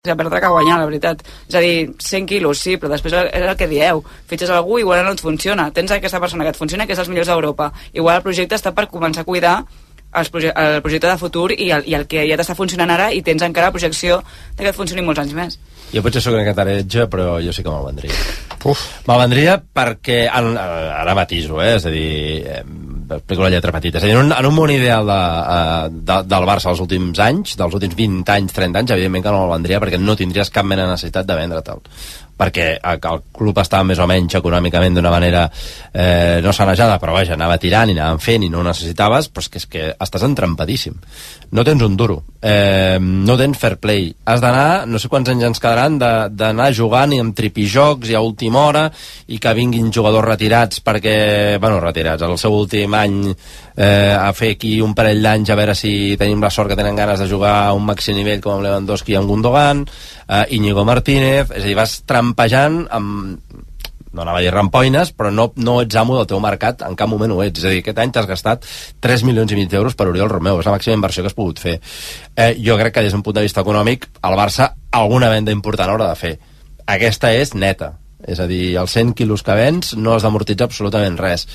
que perdre que guanyar, la veritat. És a dir, 100 quilos, sí, però després és el que dieu. Fitxes algú i igual no et funciona. Tens aquesta persona que et funciona, que és els millors d'Europa. Igual el projecte està per començar a cuidar el projecte de futur i el que ja t'està funcionant ara, i tens encara la projecció de que et funcioni molts anys més. Jo potser sóc una cataretge, però jo sí que me'l vendria. Me'l vendria perquè, ara matiso, és a dir, explico la lletra petita, és a dir, en un món ideal del Barça dels últims anys, dels últims 20 anys, 30 anys, evidentment que no me'l vendria perquè no tindries cap mena de necessitat de vendre-te'l, perquè el club estava més o menys econòmicament d'una manera no sanejada, però vaja, anava tirant i anaven fent i no ho necessitaves, però és que estàs entrampadíssim, no tens un duro, no tens fair play, has d'anar, no sé quants anys ens quedaran d'anar jugant i amb tripijocs i a última hora, i que vinguin jugadors retirats perquè, bueno, retirats al seu últim any, a fer aquí un parell d'anys a veure si tenim la sort que tenen ganes de jugar a un màxim nivell com amb Lewandowski i amb Gundogan, Íñigo Martínez, és a dir, vas trampejant amb, no anava a dir rampoines, però no ets amo del teu mercat, en cap moment ho ets. És a dir, aquest any t'has gastat 3,5 milions d'euros per Oriol Romeu, és la màxima inversió que has pogut fer. Jo crec que des d'un punt de vista econòmic el Barça alguna venda important haurà de fer. Aquesta és neta, és a dir, els 100 quilos que vens no has d'amortitzar absolutament res.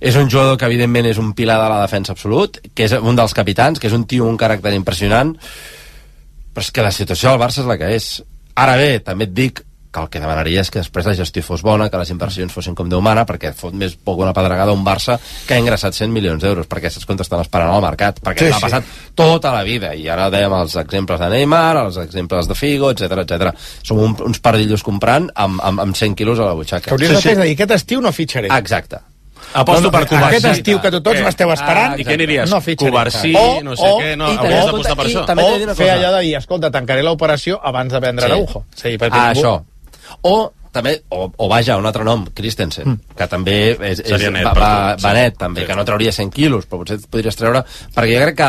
És un jugador que evidentment és un pilar de la defensa absolut, que és un dels capitans, que és un tio amb un caràcter impressionant, però és que la situació del Barça és la que és. Ara bé, també et dic que el que demanaria és que després la gestió fos bona, que les inversions fossin com Déu mana, perquè fot més poc una pedregada un Barça que ha ingressat 100 milions d'euros, perquè aquests comptes estan esperant al mercat, perquè l'ha passat tota la vida, i ara dèiem els exemples de Neymar, els exemples de Figo, etc. Som uns pardillos comprant amb 100 quilos a la butxaca. Que hauries de fer, aquest estiu no fitxaré. Exacte. Aposto per Covarsí. Aquest estiu que tots m'esteu esperant, i què aniries? No fitxaré. Covarsí, no sé què, no, hauries d'apostar per això. O fer allò de dir, escolta, tancaré l'operació abans de vendre Araujo. Això. O també, o vaja, un altre nom, Christensen, que també va net, també, que no trauria 100 quilos, però potser et podries treure, perquè jo crec que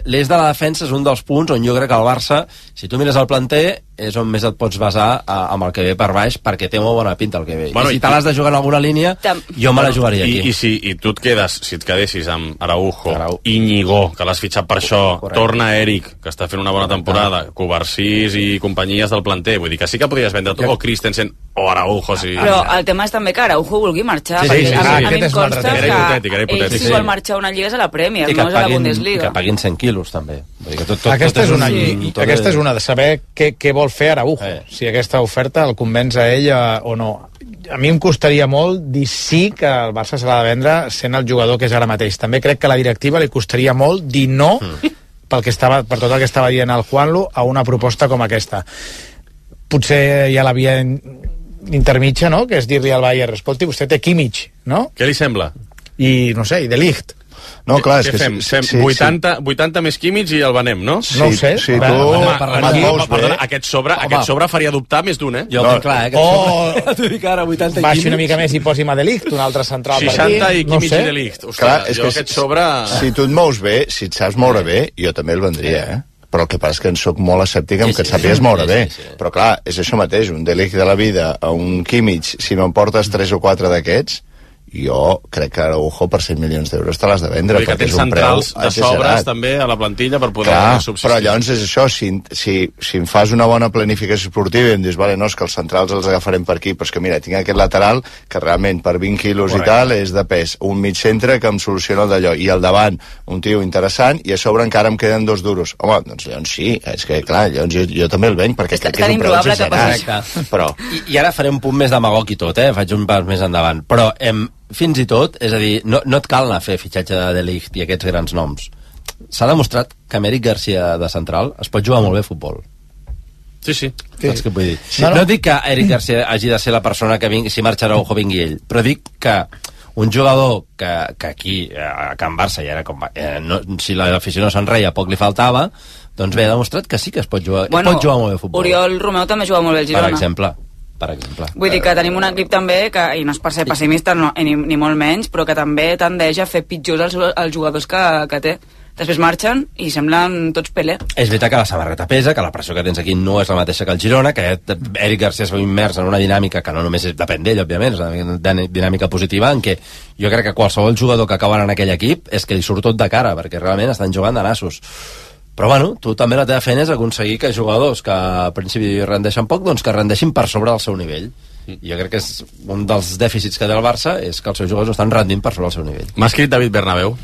l'eix de la defensa és un dels punts on jo crec que el Barça, si tu mires el planter, és on més et pots basar amb el que ve per baix, perquè té molt bona pinta el que ve. I si te l'has de jugar en alguna línia, jo me la jugaria aquí. I tu si et quedessis amb Araujo, Íñigo, que l'has fitxat per això, torna Eric, que està fent una bona temporada, Covarsís i companyies del planter, vull dir que sí que podries vendre o Christensen o Araujo. Però el tema és també que Araujo vulgui marxar. A mi em consta que ell si vol marxar una lliga és a la Premier, no és a la Bundesliga. I que paguin 100 quilos, també. Aquesta és una de saber què vol fer Araujo, si aquesta oferta el convenç a ell o no. A mi em costaria molt dir sí que el Barça se l'ha de vendre sent el jugador que és ara mateix. També crec que a la directiva li costaria molt dir no per tot el que estava dient el Juanlu a una proposta com aquesta. Potser hi ha la via intermitja, no?, que és dir-li al Bayern, escolti, vostè té Kimmich, no? Què li sembla? I, no sé, i De Ligt. No, clar, és que fem 80 més Kimmich i el venem, no? No ho sé. Perdona, aquest sobre faria dubtar més d'un, eh? Jo ho tinc clar, t'ho dic ara, 80 i baixi una mica més i posi'm a De Ligt, un altre central 60 i Kimmich i De Ligt. Ostres, jo aquest sobre... Si tu et mous bé, si et saps moure bé, jo també el vendria, eh? Però el que passa és que en soc molt escèptic amb que et sàpigues moure bé. Però clar, és això mateix, un De Ligt de la vida a un Kimmich, si no em portes 3 o 4 d'aquests, jo crec que Araujo per 100 milions d'euros te l'has de vendre, perquè és un preu centrals de sobres també a la plantilla per poder subsistir. Però llavors és això, si em fas una bona planificació esportiva i em dius, vale, no, és que els centrals els agafarem per aquí, però és que mira, tinc aquest lateral que realment per 20 quilos i tal és de pes, un mig centre que em soluciona el d'allò, i al davant un tio interessant, i a sobre encara em queden 2 duros. Home, doncs llavors sí, és que clar, llavors jo també el venc, perquè crec que és un preu exagerat. Però... I ara faré un punt més demagog i tot, faig un pas més endavant, però fins i tot, és a dir, no et cal anar a fer fitxatge de Ligt i aquests grans noms. S'ha demostrat que amb Eric Garcia de central es pot jugar molt bé a futbol. Sí. Saps què vull dir? No dic que Eric Garcia hagi de ser la persona que vingui, si marxa Araujo vingui ell, però dic que un jugador que aquí, a Can Barça, ja era com, si l'afició no se'n reia, poc li faltava, doncs bé, ha demostrat que sí que es pot jugar, molt bé a futbol. Oriol Romeu també juga molt bé al Girona. Per exemple. Vull dir que tenim un equip també que, i no és per ser pessimista ni molt menys, però que també tendeix a fer pitjors els jugadors que té. Després marxen i semblen tots Pelé. És veritat que la samarreta pesa, que la pressió que tens aquí no és la mateixa que el Girona, que Eric Garcia es veu immers en una dinàmica que no només depèn d'ell, òbviament, és una dinàmica positiva en què jo crec que qualsevol jugador que acaba en aquell equip és que li surt tot de cara, perquè realment estan jugant de nassos. Però bueno, tu també la teva feina és aconseguir que jugadors que al principi rendeixen poc, doncs que rendeixin per sobre del seu nivell. I jo crec que és un dels dèficits que té el Barça és que els seus jugadors no estan rendint per sobre el seu nivell. M'ha escrit David Bernabéu,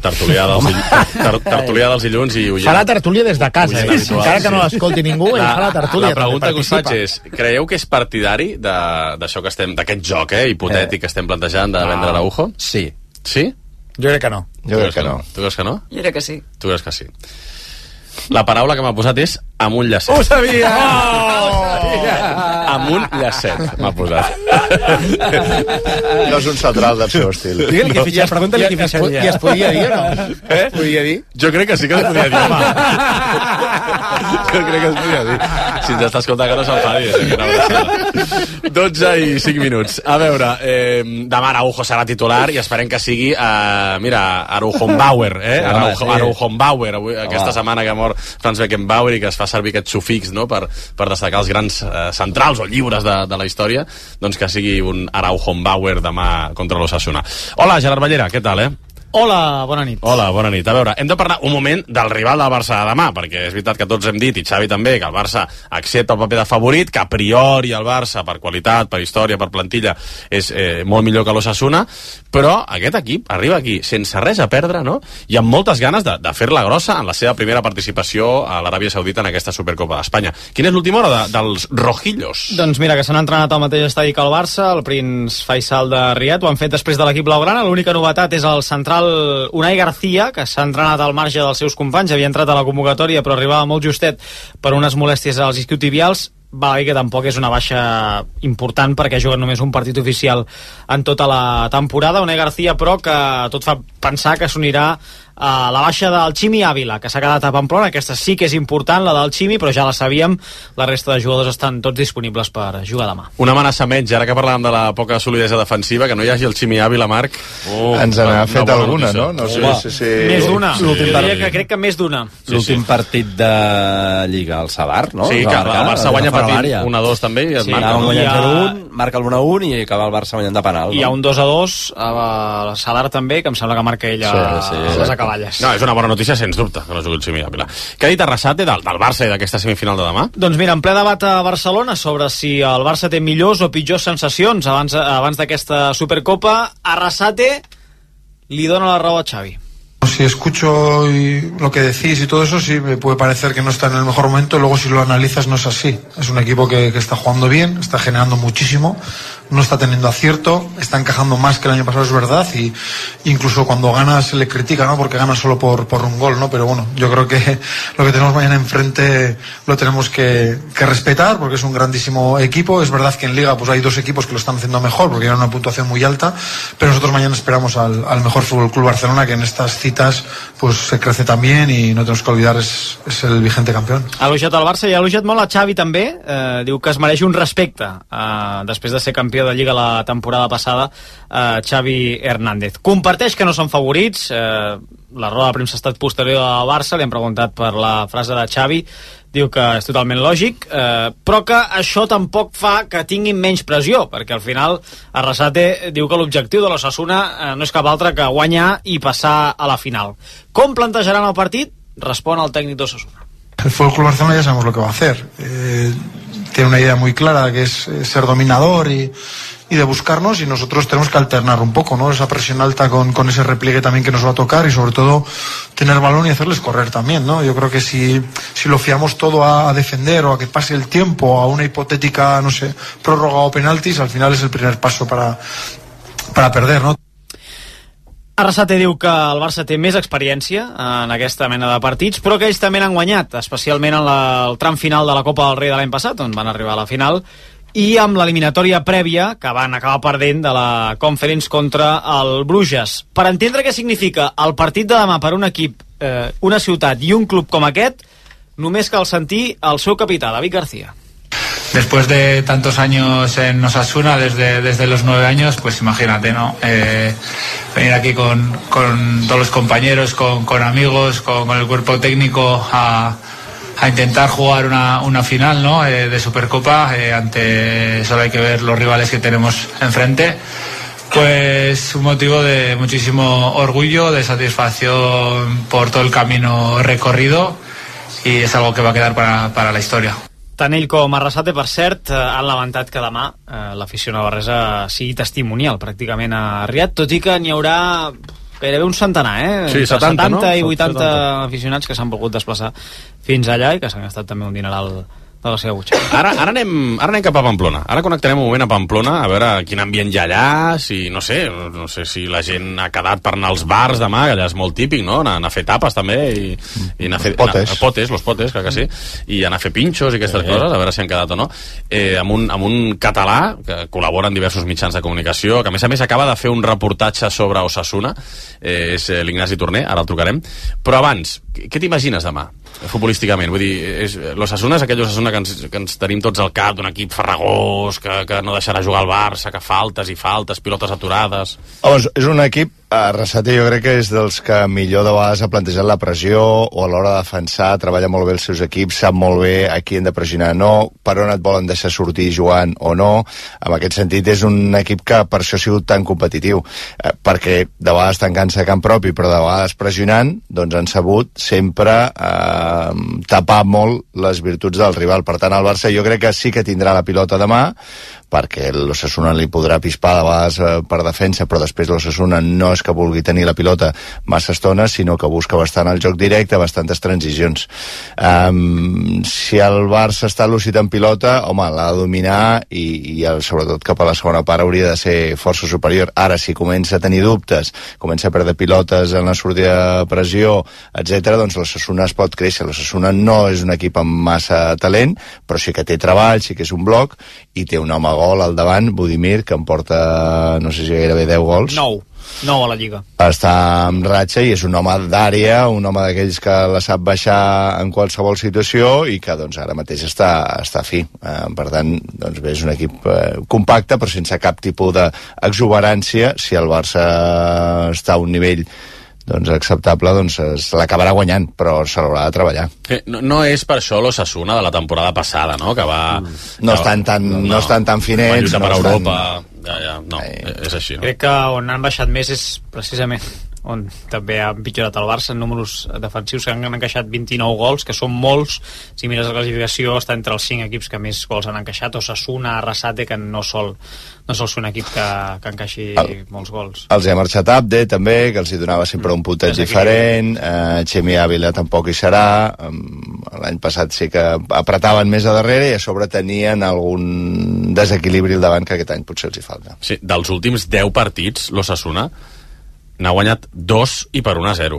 tertulià dels dilluns i fa la tertúlia des de casa, encara que no l'escolti ningú, ell fa la tertúlia. La pregunta que us faig és, creieu que és partidari d'això que estem, d'aquest joc hipotètic que estem plantejant de vendre Araujo? Sí. Sí? Jo crec que no. Jo crec que no. Tu creus que no? Jo crec que sí. Tu creus que sí. La paraula que m'ha posat és amunt llacet. Ho sabia! Amunt llacet m'ha posat. No és un central del seu estil. Digue-li que fitxar, pregunta-li qui fitxaria. I es podia dir o no? Es podia dir? Jo crec que sí que es podia dir, home. Jo crec que es podia dir. Si ens està escoltant que no s'enfadi. 12 i 5 minuts. A veure, demà Araujo serà titular i esperem que sigui, mira, Araujonbauer, Araujonbauer, aquesta setmana que mor Franz Beckenbauer i que es fa servir aquest sufix, no?, per destacar els grans centrals o lliures de la història, doncs que sigui un Araujonbauer demà contra l'Osasuna. Hola, Gerard Ballera, què tal, Hola, bona nit. Hola, bona nit. A veure, hem de parlar un moment del rival del Barça de demà, perquè és veritat que tots hem dit, i Xavi també, que el Barça accepta el paper de favorit, que a priori el Barça, per qualitat, per història, per plantilla, és molt millor que l'Osasuna, però aquest equip arriba aquí sense res a perdre, no?, i amb moltes ganes de fer-la grossa en la seva primera participació a l'Aràbia Saudita en aquesta Supercopa d'Espanya. Quina és l'última hora dels rojillos? Doncs mira, que s'han entrenat al mateix estadi que el Barça, el Prince Faisal de Riad, ho han fet després de l'equip blaugrana. L'única novetat és el central Unai García, que s'ha entrenat al marge dels seus companys, havia entrat a la convocatòria però arribava molt justet per unes molèsties als isquiotibials. Val a dir que tampoc és una baixa important perquè ha jugat només un partit oficial en tota la temporada. Unai García, però, que tot fa pensar que s'unirà a la baixa del Ximi Ávila, que s'ha quedat a Pamplona. Aquesta sí que és important, la del Ximi, però ja la sabíem, la resta de jugadors estan tots disponibles per jugar demà. Una amenaça menys, ara que parlàvem de la poca solidesa defensiva, que no hi hagi el Ximi Ávila, Marc. Ens n'ha fet alguna, no? No sé si... Més d'una. Crec que més d'una. L'últim partit de Lliga, el Sadar, no? Sí, que el Barça guanya patint 1-2 també i es marca. Marca el 1-1 i acaba el Barça guanyant de penal. Hi ha un 2-2 al Sadar també, que em sembla que marca ell a les acaballes. No, és una bona notícia, sens dubte, que no jugui el Ximi Ávila. Què ha dit Arrasate del Barça i d'aquesta semifinal de demà? Doncs mira, en ple debat a Barcelona sobre si el Barça té millors o pitjors sensacions abans d'aquesta Supercopa, Arrasate li dona la raó a Xavi. Si escucho lo que decís y todo eso, sí me puede parecer que no está en el mejor momento. Luego, si lo analizas, no es así. Es un equipo que está jugando bien, está generando muchísimo, no está teniendo acierto, está encajando más que el año pasado, es verdad, y incluso cuando gana se le critica, ¿no?, porque gana solo por un gol, ¿no? Pero bueno, yo creo que lo que tenemos mañana enfrente lo tenemos que respetar, porque es un grandísimo equipo. Es verdad que en Liga pues hay dos equipos que lo están haciendo mejor, porque tienen una puntuación muy alta, pero nosotros mañana esperamos al mejor Fútbol Club Barcelona, que en estas citas pues se crece también y no tenemos que olvidar es el vigente campeón. Ha elogiat el Barça i ha elogiat molt a Xavi també, diu que es mereix un respecte després de ser campió de Lliga la temporada passada, Xavi Hernández. Comparteix que no són favorits, la roda de premsa ha estat posterior al Barça, li han preguntat per la frase de Xavi, diu que és totalment lògic, però que això tampoc fa que tinguin menys pressió, perquè al final Arrasate diu que l'objectiu de l'Osasuna no és cap altre que guanyar i passar a la final. Com plantejaran el partit? Respon el tècnic d'Osasuna. El Fútbol Club Barcelona ya sabemos lo que va a hacer. Tiene una idea muy clara, que es ser dominador y de buscarnos, y nosotros tenemos que alternar un poco, ¿no?, esa presión alta con ese repliegue también que nos va a tocar, y sobre todo tener balón y hacerles correr también, ¿no? Yo creo que si lo fiamos todo a defender o a que pase el tiempo, a una hipotética, no sé, prórroga o penaltis, al final es el primer paso para perder, ¿no? Arrasate diu que el Barça té més experiència en aquesta mena de partits, però que ells també n'han guanyat, especialment en el tram final de la Copa del Rei de l'any passat, on van arribar a la final, i amb l'eliminatòria prèvia que van acabar perdent de la Conference contra el Bruges. Per entendre què significa el partit de demà per un equip, una ciutat i un club com aquest, només cal sentir el seu capità, David García. Después de tantos años en Osasuna, desde los 9 años, pues imagínate, ¿no? Venir aquí con todos los compañeros, con amigos, con el cuerpo técnico a intentar jugar una final, ¿no?, de Supercopa. Solo hay que ver los rivales que tenemos enfrente. Pues un motivo de muchísimo orgullo, de satisfacción por todo el camino recorrido, y es algo que va a quedar para la historia. Tant ell com Arrasate, per cert, han lamentat que demà l'afició navarresa sigui testimonial pràcticament a Riad, tot i que n'hi haurà gairebé un centenar, Sí, 70, no? i 80 aficionats que s'han volgut desplaçar fins allà i que s'han gastat també un dineral de la seva butxaca. Ara anem cap a Pamplona. Ara connectarem un moment a Pamplona, a veure quin ambient hi ha allà, si, no sé si la gent ha quedat per anar als bars demà, que allà és molt típic, no? Anar a fer tapes també, i anar a fer los potes, clar que sí, i anar a fer pinxos i aquestes coses, a veure si han quedat o no. Amb un català que col·labora en diversos mitjans de comunicació, que a més acaba de fer un reportatge sobre Osasuna, és l'Ignasi Torner, ara el trucarem. Però abans, què t'imagines demà, futbolísticament? Vull dir, l'Osasuna és aquell Osasuna que ens tenim tots al cap, d'un equip farragós, que no deixarà jugar al Barça, que faltes, pilotes aturades... Home, és un equip, Arrasate jo crec que és dels que millor de vegades ha plantejat la pressió, o a l'hora de defensar, treballa molt bé els seus equips, sap molt bé a qui hem de pressionar no, per on et volen deixar sortir jugant o no. En aquest sentit és un equip que per això ha sigut tan competitiu, perquè de vegades tancant-se a camp propi, però de vegades pressionant, doncs han sabut sempre tapar molt les virtuts del rival. Per tant, el Barça jo crec que sí que tindrà la pilota demà, perquè l'Osasuna li podrà pispar de vegades per defensa, però després l'Osasuna no és que vulgui tenir la pilota massa estona, sinó que busca bastant el joc directe, bastantes transicions. Si el Barça està lúcid en pilota, home, l'ha de dominar i sobretot cap a la segona part hauria de ser força superior. Ara, si comença a tenir dubtes, comença a perdre pilotes en la sortida de pressió, etc., doncs l'Osasuna es pot créixer. L'Osasuna no és un equip amb massa talent, però sí que té treball, sí que és un bloc, i té un home gol al davant, Budimir, que em porta, no sé si gairebé 10 gols. 9 a la Lliga. Està en ratxa i és un home d'àrea, un home d'aquells que la sap baixar en qualsevol situació i que doncs ara mateix està fi. Per tant, doncs bé, és un equip compacte però sense cap tipus d'exuberància. Si el Barça està a un nivell acceptable, doncs se l'acabarà guanyant, però se l'haurà de treballar. No és per això l'Osasuna de la temporada passada, no? Que va... No estan tan finets. Va lluitar per Europa. No, és així, no? Crec que on han baixat més és precisament on també ha empitjorat el Barça en números defensius, que han encaixat 29 gols, que són molts. Si mires la classificació, està entre els 5 equips que més gols han encaixat. Osasuna, Arrasate, que no sol ser un equip que encaixi molts gols. Els ha marxat Abde, també, que els hi donava sempre un puntet diferent. Xemi Ávila tampoc hi serà. L'any passat sí que apretaven més a darrere i a sobre tenien algun desequilibri al davant que aquest any potser els hi falta. Sí, dels últims 10 partits, l'Osasuna n'ha guanyat 2 i per 1-0,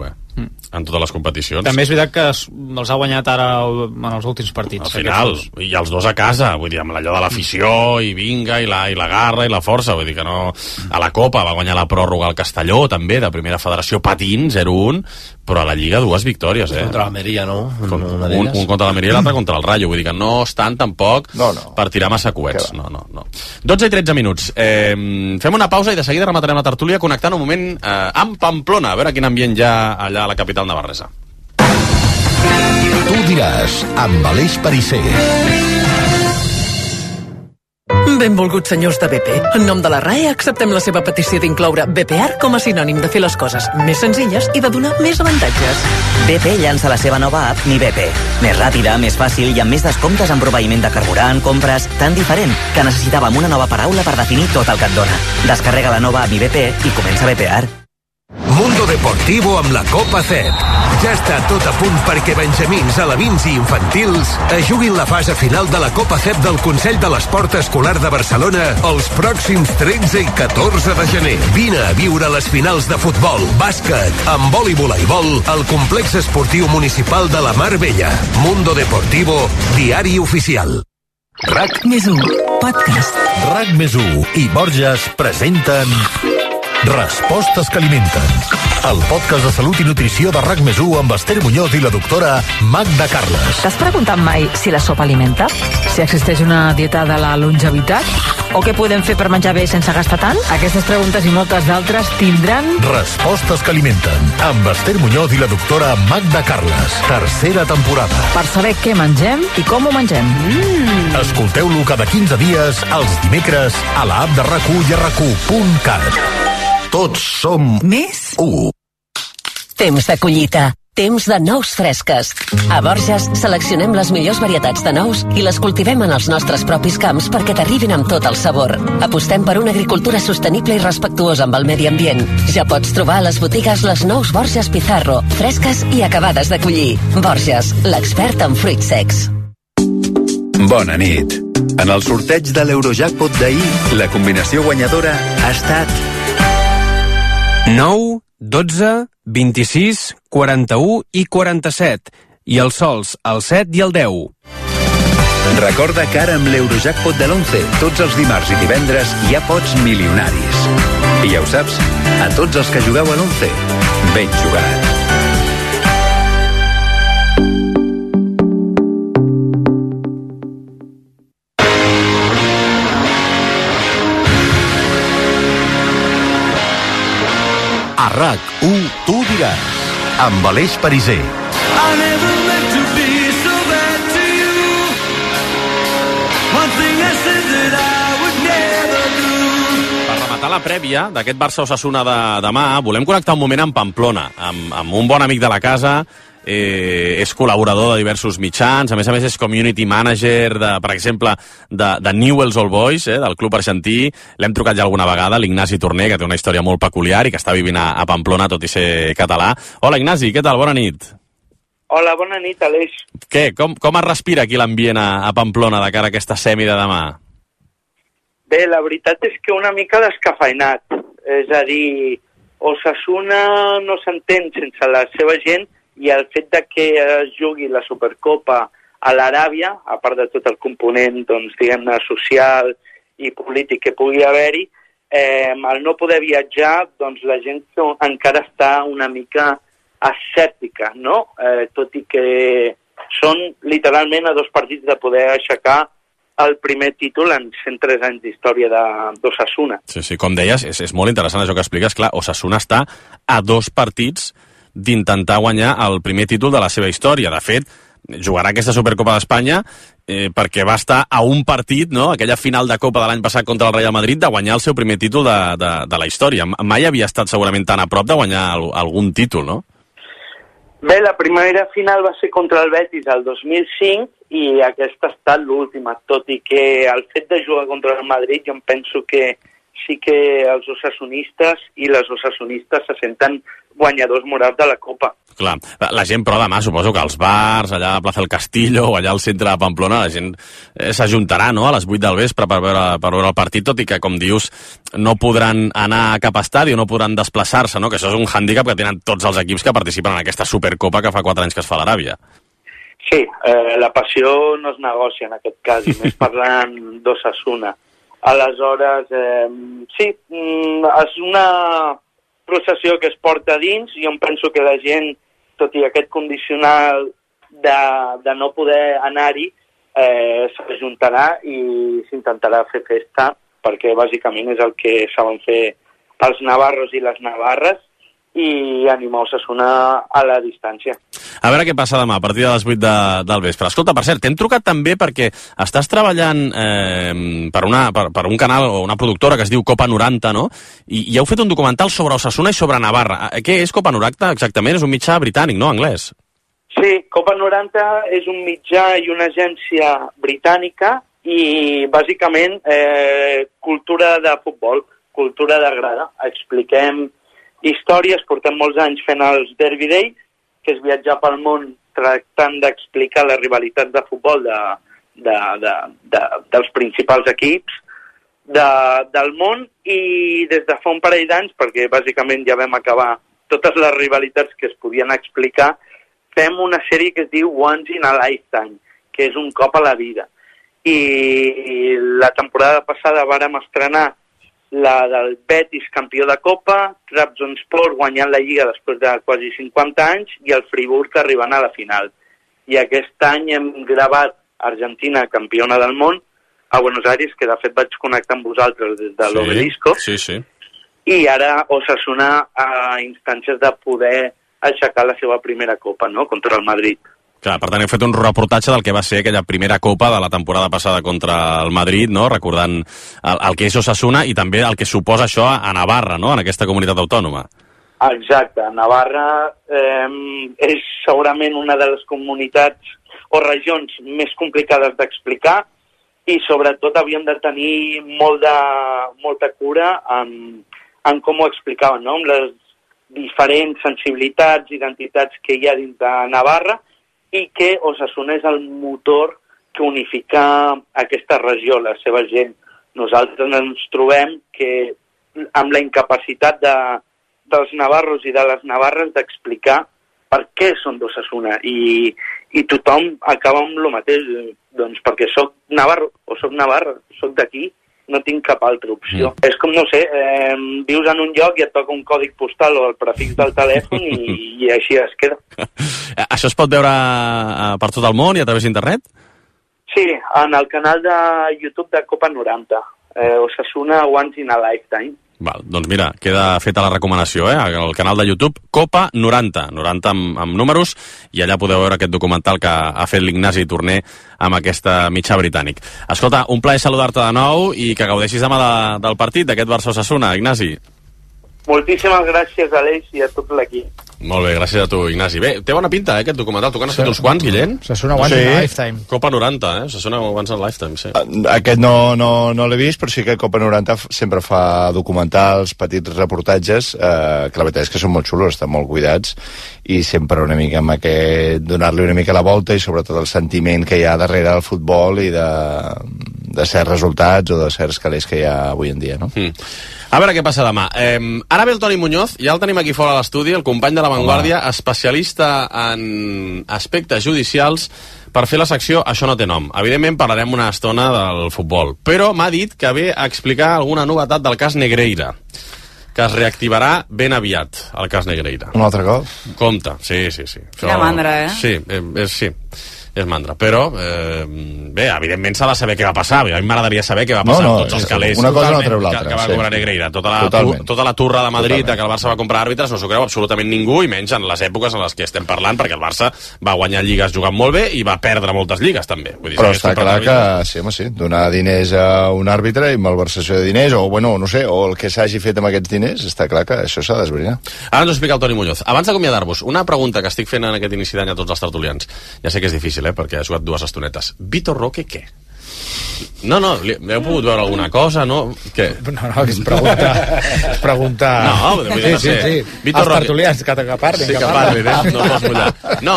en totes les competicions. També és veritat que els ha guanyat ara en els últims partits. Al final, i els 2 a casa, vull dir, amb allò de l'afició, i vinga, i la garra, i la força, vull dir que no... A la Copa va guanyar la pròrroga al Castelló, també, de primera federació, patint, 0-1, però a la Lliga 2 victòries, Contra l'Almeria, no? Un contra l'Almeria i l'altre contra el Rayo, vull dir que no estan tampoc per tirar massa coets. No. 12 i 13 minuts. Fem una pausa i de seguida rematarem la tertúlia connectant un moment amb Pamplona, a veure quin ambient hi ha allà a la capital navarresa. Tu diràs, amb Aleix Pariser. Benvolguts senyors de BP. En nom de la RAE acceptem la seva petició d'incloure BPAR com a sinònim de fer les coses més senzilles i de donar més avantatges. BP llança la seva nova app Mi BP. Més ràpida, més fàcil i amb més descomptes en proveïment de carburant, compres, tan diferent que necessitàvem una nova paraula per definir tot el que et dona. Descarrega la nova Mi BP i comença BPAR. Mundo Deportivo amb la Copa CEP. Ja està tot a punt perquè benjamins, alevins i infantils es juguin la fase final de la Copa CEP del Consell de l'Esport Escolar de Barcelona els pròxims 13 i 14 de gener. Vine a viure les finals de futbol, bàsquet, handbol i voleibol al complex esportiu municipal de la Mar Bella. Mundo Deportivo, diari oficial. RAC+1, podcast. RAC+1 i Borges presenten Respostes que alimenten. el podcast de salut i nutrició de RAC+1 amb Esther Muñoz i la doctora Magda Carles. T'has preguntat mai si la sopa alimenta? Si existeix una dieta de la longevitat? O què podem fer per menjar bé sense gastar tant? Aquestes preguntes i moltes d'altres tindran... Respostes que alimenten, amb Esther Muñoz i la doctora Magda Carles. Tercera temporada. Per saber què mengem i com ho mengem. Escolteu-lo cada 15 dies, els dimecres, a l'app de RAC1 i a RAC1.cat. Tots som... Més? 1. Temps de collita. Temps de nous fresques. A Borges seleccionem les millors varietats de nous i les cultivem en els nostres propis camps perquè t'arribin amb tot el sabor. Apostem per una agricultura sostenible i respectuosa amb el medi ambient. Ja pots trobar a les botigues les nous Borges Pizarro, fresques i acabades de collir. Borges, l'expert en fruits secs. Bona nit. En el sorteig de l'Eurojackpot d'ahir, la combinació guanyadora ha estat 9, 12, 26, 41 i 47. I els sols, el 7 i el 10. Recorda que ara amb l'Eurojackpot de l'11, tots els dimarts i divendres hi ha pots milionaris. I ja ho saps, a tots els que jugueu a l'11, ben jugat. A RAC1 tu diràs, amb Aleix Pariser. Per rematar la prèvia d'aquest Barça-Osasuna de demà, volem connectar un moment amb Pamplona, amb un bon amic de la casa. És col·laborador de diversos mitjans, a més és community manager, per exemple, de Newell's Old Boys, del club argentí. L'hem trucat ja alguna vegada, l'Ignasi Torner, que té una història molt peculiar i que està vivint a Pamplona, tot i ser català. Hola, Ignasi, què tal? Bona nit. Hola, bona nit, Aleix. Què? Com es respira aquí l'ambient a Pamplona de cara a aquesta semi de demà? Bé, la veritat és que una mica descafeinat. És a dir, Osasuna no s'entén sense la seva gent, i el fet de que es jugui la Supercopa a l'Aràbia, a part de tot el component, doncs, diguem-ne, social i polític que pugui haver-hi, al no poder viatjar, doncs la gent encara està una mica escèptica, no? Tot i que són literalment a 2 partits de poder aixecar el primer títol en 103 anys d'història d'Osasuna. Sí, com deies, és molt interessant això que expliques. Clar, Osasuna està a 2 partits d'intentar guanyar el primer títol de la seva història. De fet, jugarà aquesta Supercopa d'Espanya perquè va estar a un partit, no?, aquella final de Copa de l'any passat contra el Real Madrid, de guanyar el seu primer títol de la història. Mai havia estat segurament tan a prop de guanyar algun títol, no? Bé, la primera final va ser contra el Betis el 2005 i aquesta ha estat l'última, tot i que el fet de jugar contra el Madrid jo em penso que sí que els osasunistes i les osasunistes se senten guanyadors morals de la Copa. Clar, la gent, però demà suposo que als bars, allà a Plaza del Castillo o allà al centre de Pamplona, la gent s'ajuntarà, no?, a les 8 del vespre per veure el partit, tot i que, com dius, no podran anar cap a estadi o no podran desplaçar-se, no?, que això és un hàndicap que tenen tots els equips que participen en aquesta Supercopa que fa 4 anys que es fa a l'Aràbia. Sí, la passió no es negocia en aquest cas, i més parlant d'Osasuna. Aleshores, sí, és una processió que es porta dins, i jo em penso que la gent, tot i aquest condicional de no poder anar-hi, s'ajuntarà i s'intentarà fer festa, perquè bàsicament és el que saben fer els navarros i les navarres, i animar Osasuna a la distància. A veure què passa demà, a partir de les 8 del vespre. Escolta, per cert, t'hem trucat també perquè estàs treballant per un canal o una productora que es diu Copa 90, no? I heu fet un documental sobre Osasuna i sobre Navarra. Què és Copa 90 exactament? És un mitjà britànic, no? Anglès. Sí, Copa 90 és un mitjà i una agència britànica i bàsicament cultura de futbol, cultura de grada. Expliquem històries, portem molts anys fent els Derby Days, que és viatjar pel món tractant d'explicar les rivalitats de futbol dels principals equips del món, i des de fa un parell d'anys, perquè bàsicament ja vam acabar totes les rivalitats que es podien explicar, fem una sèrie que es diu Once in a Lifetime, que és un cop a la vida. I la temporada passada vàrem estrenar la del Betis campió de Copa, Trabzonspor guanyant la Lliga després de quasi 50 anys i el Friburg arribant a la final. I aquest any hem gravat Argentina campiona del món a Buenos Aires, que de fet vaig connectar amb vosaltres des de l'Obelisco. Sí, sí. I ara Osasuna a instàncies de poder aixecar la seva primera Copa, no?, contra el Madrid. Clar, per tant, hem fet un reportatge del que va ser aquella primera Copa de la temporada passada contra el Madrid, no?, recordant el que és Osasuna i també el que suposa això a Navarra, no?, en aquesta comunitat autònoma. Exacte. Navarra és segurament una de les comunitats o regions més complicades d'explicar i sobretot havíem de tenir molta cura en com ho explicaven, no?, amb les diferents sensibilitats, identitats que hi ha dins de Navarra, i que Osasuna és el motor que unifica aquesta regió, la seva gent. Nosaltres ens trobem que amb la incapacitat dels navarros i de les navarres d'explicar per què són d'Osasuna i tothom acaba amb el mateix, doncs perquè soc navarro o soc navarra, soc d'aquí, no tinc cap altra opció. És com, no sé, vius en un lloc i et toca un còdig postal o el prefix del telèfon i així es queda. Això es pot veure per tot el món i a través d'internet? Sí, en el canal de YouTube de Copa 90, Osasuna Once in a Lifetime. Val, doncs mira, queda feta la recomanació, al canal de YouTube Copa 90, 90 amb números, i allà podeu veure aquest documental que ha fet l'Ignasi Torner amb aquesta mitjà britànic. Escolta, un plaer saludar-te de nou i que gaudeixis demà del partit, d'aquest Barça-Osasuna, Ignasi. Moltíssimes gràcies a l'Eix i a tot l'equip. Molt bé, gràcies a tu, Ignasi. Bé, té bona pinta, aquest documental. Tu que n'has fet uns quants, Guillem? Osasuna Once in a Lifetime. Copa 90, Osasuna Once in a Lifetime, sí. Aquest no l'he vist, però sí que Copa 90 sempre fa documentals, petits reportatges, que la veritat és que són molt xulos, estan molt cuidats, i sempre una mica amb aquest, donar-li una mica la volta i sobretot el sentiment que hi ha darrere del futbol i de certs resultats o de certs calés que hi ha avui en dia, no? A veure què passa demà. Ara ve el Toni Muñoz, ja el tenim aquí fora a l'estudi, el company de La Vanguardia, especialista en aspectes judicials, per fer la secció Això no té nom. Evidentment parlarem una estona del futbol, però m'ha dit que ve a explicar alguna novetat del cas Negreira, que es reactivarà ben aviat, el cas Negreira. Un altre cop? Compte, sí. Quina mandra, Sí, és mandra, però bé, evidentment s'ha de saber què va passar. A mi m'agradaria saber què va passar amb tots els calés una cosa no treu l'altra, que va cobrar Negreira. Tota la turra de Madrid que el Barça va comprar àrbitres no s'ho creu absolutament ningú, i menys en les èpoques en les que estem parlant, perquè el Barça va guanyar lligues jugant molt bé i va perdre moltes lligues també. Vull dir, però està clar que sí, donar diners a un àrbitre i malversació de diners, o bueno, no sé, o el que s'hagi fet amb aquests diners, està clar que això s'ha d'esbrinar. Ara ens ho explica el Toni Muñoz. Abans d'acomiadar-vos, una pregunta que estic fent en aquest inici d'any a tots els tertulians. Ja sé que és difícil, perquè ha jugat 2 estonetes. Vitor Roque, què? No, heu pogut veure alguna cosa, no? Què? No, és pregunta... No, vull dir, no sé. Sí. Els tertulians, que parlin. Sí, que parlin, no pots mullar. No,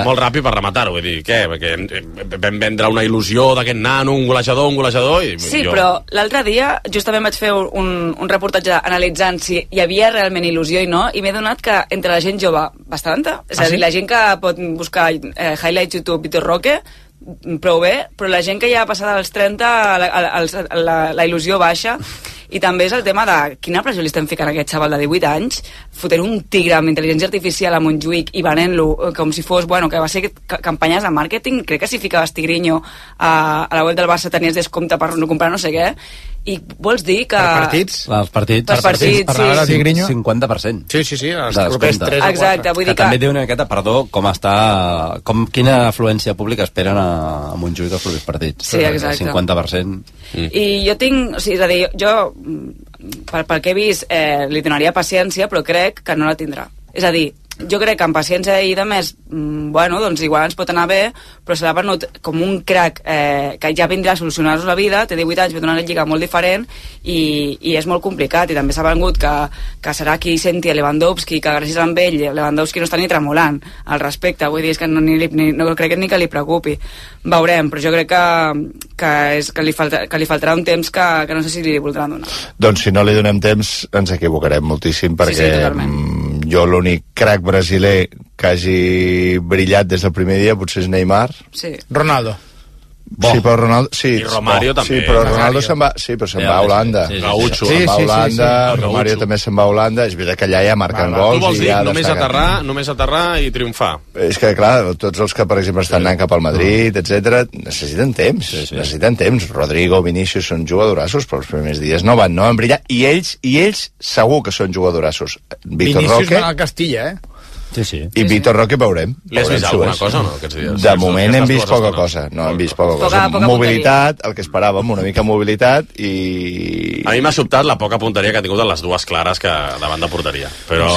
molt ràpid per rematar-ho, vull dir, què? Perquè vam vendre una il·lusió d'aquest nano, un golejador... Sí, però l'altre dia justament vaig fer un reportatge analitzant si hi havia realment il·lusió i no, i m'he donat que entre la gent jove, bastanta. És a dir, la gent que pot buscar highlights YouTube Vitor Roque, prou bé, però la gent que ja ha passat als 30 la il·lusió baixa, i també és el tema de quina pressió li estem ficant a aquest xaval de 18 anys, fotent un tigre amb intel·ligència artificial a Montjuïc i venent-lo com si fos, bueno, que va ser campanyes de màrqueting. Crec que si ficaves Tigrinho a la web del Barça tenies descompte per no comprar no sé què, i vols dir que... Per partits? Els partits. Per partits, sí. 50%. Sí, els propers 3 o 4. Exacte, vull dir que... També diu una miqueta, perdó, quina afluència pública esperen a Montjuïc els propers partits. Sí, exacte. 50%. I jo tinc... O sigui, és a dir, jo, pel que he vist, li donaria paciència, però crec que no la tindrà. És a dir, jo crec que amb paciència i de més, bueno, doncs igual ens pot anar bé, però se l'ha venut com un crack que ja vindrà a solucionar-nos la vida, té 18 anys, ve d'una lliga molt diferent i és molt complicat, i també s'ha vengut que serà qui senti a Lewandowski, que gràcies a ell Lewandowski no està ni tremolant al respecte, vull dir, és que no crec ni que li preocupi. Veurem, però jo crec que li faltarà un temps que no sé si li voldran donar. Doncs si no li donem temps ens equivocarem moltíssim, perquè jo l'únic crack brasiler que hagi brillat des del primer dia potser és Neymar. Sí. Ronaldo. Sí, però Ronaldo... Sí, I Romario també. Sí, però Ronaldo se'n va... Sí, però se'n va a Holanda. Gaucho. Se'n va a Holanda, Romario també se'n va a Holanda. És veritat que allà ja marquen gols. Tu vols dir ja només aterrar i triomfar? És que, clar, tots els que, per exemple, estan anant cap al Madrid, etc, necessiten temps. Necessiten temps. Rodrigo, Vinícius són jugadorassos, però els primers dies no van brillar. I ells segur que són jugadorassos. Vinícius va al Castilla, Sí. I Vitor Roque veurem. Li has vist alguna cosa o no aquests dies? De moment hem vist poca cosa. No, hem vist poca cosa. Mobilitat, el que esperàvem, una mica mobilitat i... A mi m'ha sobtat la poca punteria que ha tingut en les dues clares que davant de porteria. Però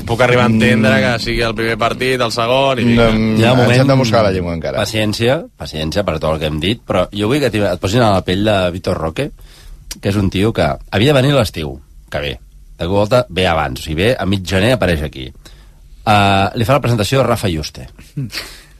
puc arribar a entendre que sigui el primer partit, el segon... I ens hem de moscar la llengua encara. Paciència per tot el que hem dit, però jo vull que et posin a la pell de Vitor Roque, que és un tio que havia de venir a l'estiu, que ve. De volta ve abans, o sigui, ve a mig gener apareix aquí. Li fa la presentació a Rafa Yuste.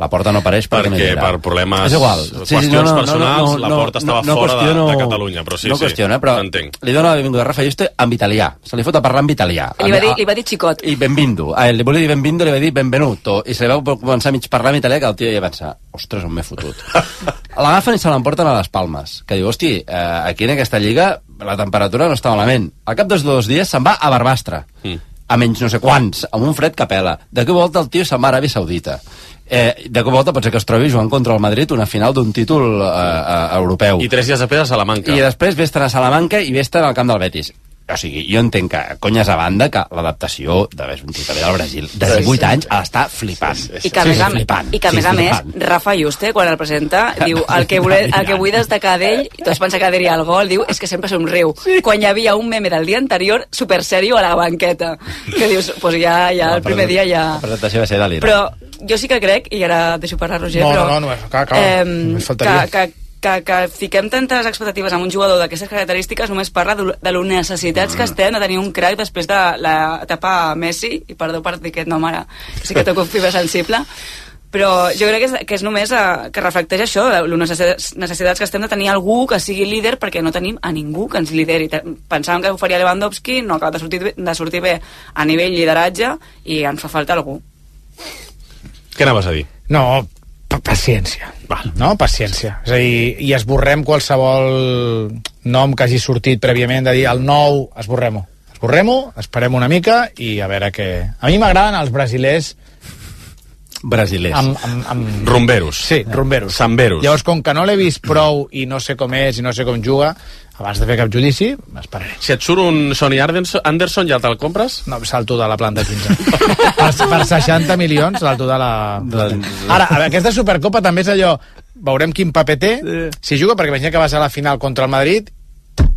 La Porta no apareix perquè per problemes, és igual. Qüestions personals, la Porta estava fora de Catalunya, però no qüestiona, però li dona la benvinguda a Rafa Yuste en italià. Se li fot a parlar en italià. Li va dir xicot. I benvindu. Li volia dir benvindu, li va dir benvenuto. I se li va començar a mig parlar en italià, que el tio ja va pensar, ostres, on m'he fotut. L'agafen i se l'emporten a les Palmes. Que diu, hosti, aquí en aquesta lliga la temperatura no està malament. Al cap dels 2 dies se'n va a Barbastre. A menys no sé quants, amb un fred que pela. De què volta el tio se'n va a Aràbia Saudita. De què volta pot ser que es trobi jugant contra el Madrid una final d'un títol europeu. I 3 dies després a Salamanca. I després vés-te'n a Salamanca i vés-te'n al camp del Betis. O sigui, jo entenc que, conyes a banda, que l'adaptació d'haver un tio també del Brasil de 18 anys ha d'estar flipant. I que, a més a més, Rafa Yuste, quan el presenta, diu el que vull destacar d'ell, i tots pensen que diria el gol, diu, és que sempre somriu. Quan hi havia un meme del dia anterior, super serio a la banqueta, que dius, pues ja el primer dia ja... La presentació va ser delirant. Però jo sí que crec, i ara deixo parlar Roger, però que fiquem tantes expectatives amb un jugador d'aquestes característiques només parla de les necessitats que estem de tenir un crack després de l'etapa Messi, i perdó per dir aquest nom ara, sí que toco fibra sensible, però jo crec que és només que reflecteix això, les necessitats que estem de tenir algú que sigui líder, perquè no tenim a ningú que ens lideri. Pensàvem que ho faria Lewandowski, no acaba de sortir bé a nivell lideratge i ens fa falta algú. Què anaves a dir? No, paciència. No, paciència. És a dir, i esborrem qualsevol nom que hagi sortit prèviament de dir el nou, esborrem-ho. Esborrem-ho, esperem una mica i a veure què... A mi m'agraden els brasilers rumberos. Sí, rumberos. Samberos. Llavors, com que no l'he vist prou i no sé com és i no sé com juga, abans de fer cap judici, m'esperaré. Si et surt un Sonny Anderson, ja te'l compres? No, salto de la planta 15. per 60 milions salto de la... Ara, aquesta Supercopa també és allò, veurem quin paper té, si juga, perquè imagina que vas a la final contra el Madrid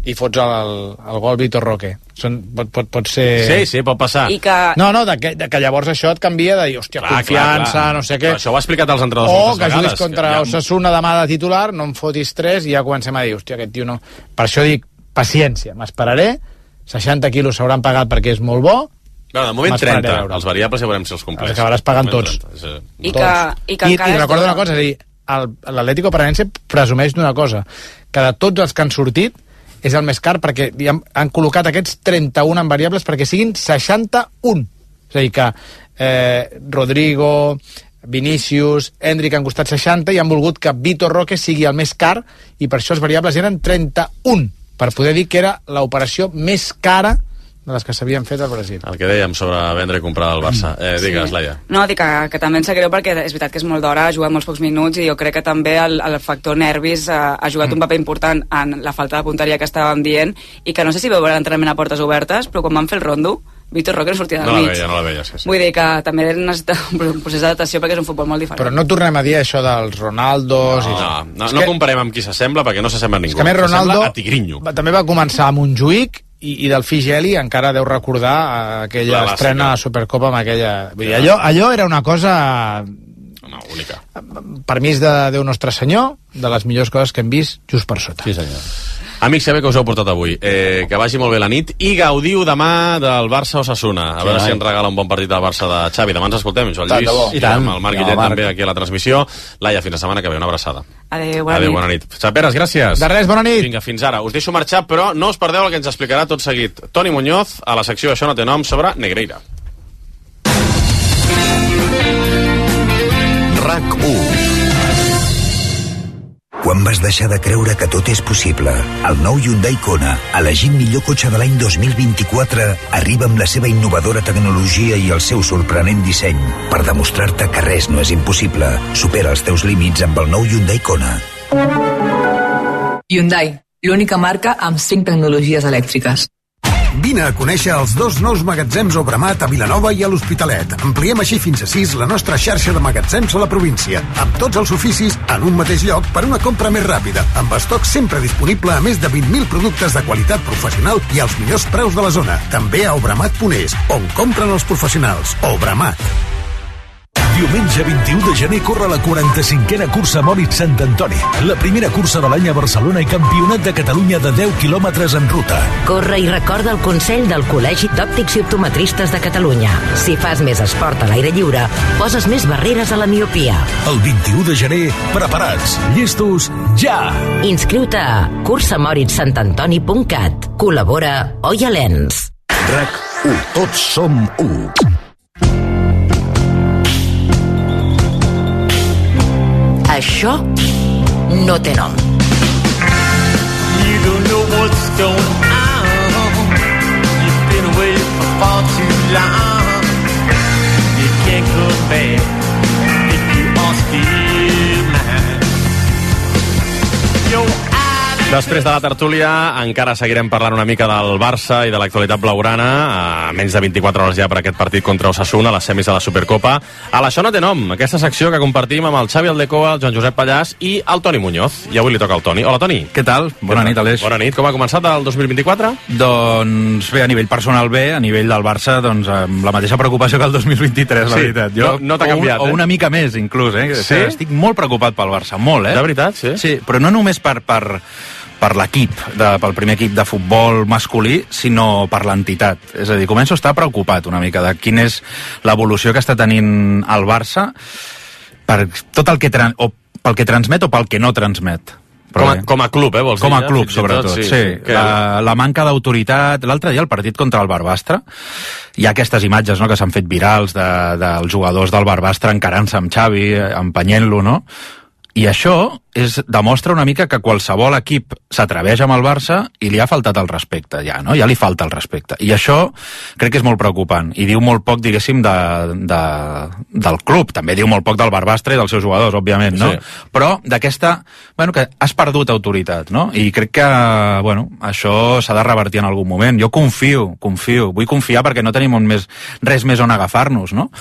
i fots el gol Vitor Roque. Pot ser... Sí, pot passar. I que... No, que llavors això et canvia de dir, hòstia, confiança, no sé què. Però això ho ha explicat als entrenadors moltes vegades. O que juguis contra Osasuna demà de titular, no em fotis 3 i ja comencem a dir, hòstia, aquest tio no... Per això dic, paciència, m'esperaré, 60 quilos s'hauran pagat perquè és molt bo. No, de moment 30, els variables ja veurem si els compleix. Els acabaràs pagant tots. I recordo una cosa, és a dir, l'Atlético Paranaense presumeix d'una cosa, que de tots els que han sortit és el més car perquè han col·locat aquests 31 en variables perquè siguin 61. És a dir que Rodrigo, Vinícius, Endrick han costat 60 i han volgut que Vitor Roque sigui el més car i per això els variables eren 31, per poder dir que era l'operació més cara de les que s'havien fet al Brasil. El que dèiem sobre vendre i comprar el Barça. Digues, Laia. No, dic que també ens sap greu perquè és veritat que és molt d'hora, ha jugat molts pocs minuts i jo crec que també el factor nervis ha jugat un paper important en la falta de punteria que estàvem dient i que no sé si veu l'entrenament a portes obertes, però quan van fer el rondo, Vitor Roque no sortia del mig. No la veia, sí. Vull dir que també necessita un procés d'adaptació perquè és un futbol molt diferent. Però no tornem a dir això dels Ronaldos... No comparem amb qui s'assembla perquè no s'assembla a ningú. És que més Ronaldo Tigrinho també va començar amb un Juic i del Figeli encara deu recordar aquella estrena a la Supercopa amb aquella... Vull dir, allò era una cosa... única. Permís de Déu Nostre Senyor, de les millors coses que hem vist just per sota. Sí, senyor. Amics, sabeu que us heu portat avui. Que vagi molt bé la nit i gaudiu demà del Barça-Osasuna. A veure si ens regala un bon partit del Barça de Xavi. Demà ens escoltem, Joan Lluís, i amb el Marc Guillet també aquí a la transmissió. Laia, fins la setmana que ve. Una abraçada. Adéu, bona nit. Xaperes, gràcies. De res, bona nit. Vinga, fins ara. Us deixo marxar, però no us perdeu el que ens explicarà tot seguit Toni Muñoz a la secció Això no té nom sobre Negreira. RAC 1 Quan vas deixar de creure que tot és possible? El nou Hyundai Kona, elegit millor cotxe de l'any 2024, arriba amb la seva innovadora tecnologia i el seu sorprenent disseny per demostrar-te que res no és impossible. Supera els teus límits amb el nou Hyundai Kona. Hyundai, l'única marca amb 5 tecnologies elèctriques. Vine a conèixer els 2 nous magatzems Obramat a Vilanova i a l'Hospitalet. Ampliem així fins a 6 la nostra xarxa de magatzems a la província, amb tots els oficis en un mateix lloc per una compra més ràpida, amb estoc sempre disponible a més de 20.000 productes de qualitat professional i als millors preus de la zona. També a obramat.es, on compren els professionals. Obramat. Diumenge 21 de gener corre la 45a cursa Moritz Sant Antoni, la primera cursa de l'any a Barcelona i campionat de Catalunya de 10 quilòmetres en ruta. Corre i recorda el consell del Col·legi d'Òptics i Optometristes de Catalunya. Si fas més esport a l'aire lliure, poses més barreres a la miopia. El 21 de gener, preparats, llestos, ja! Inscriu-te a cursamoritzsantantoni.cat. Col·labora Oia Lens. RAC1. Tots som 1. Això no té nom. You don't know what's going on. You've been away for far too long. You can't come back if you are still mine. Your Després de la tertúlia encara seguirem parlant una mica del Barça i de l'actualitat blaugrana, a menys de 24 hores ja per aquest partit contra Osasuna, a les semis de la Supercopa. A l'Això no té nom, aquesta secció que compartim amb el Xavi Aldecoa, el Joan Josep Pallàs i el Toni Muñoz. I avui li toca al Toni. Hola, Toni. Què tal? Bona nit, Aleix. Bona nit. Com ha començat el 2024? Doncs bé, a nivell personal bé, a nivell del Barça, doncs amb la mateixa preocupació que el 2023, la veritat. Jo, no t'ha canviat, o una mica més, inclús, Sí? Estic molt preocupat pel Barça, molt, De veritat, sí? Sí, però no només per l'equip, pel primer equip de futbol masculí, sinó per l'entitat. És a dir, començo a estar preocupat una mica de quina és l'evolució que està tenint el Barça per tot el que pel que transmet o pel que no transmet. Com a club, vols dir? Com a club, sobretot, sí. La manca d'autoritat. L'altre dia, el partit contra el Barbastre, hi ha aquestes imatges, no?, que s'han fet virals dels jugadors del Barbastre encarant-se amb Xavi, empenyent-lo, no? I això demostra una mica que qualsevol equip s'atreveix amb el Barça i li ha faltat el respecte, ja, no? Ja li falta el respecte. I això crec que és molt preocupant i diu molt poc, diguéssim, del club. També diu molt poc del Barbastre i dels seus jugadors, òbviament, no? Sí. Però d'aquesta, que has perdut autoritat, no? I crec que, això s'ha de revertir en algun moment. Jo confio, vull confiar perquè no tenim res més on agafar-nos, no?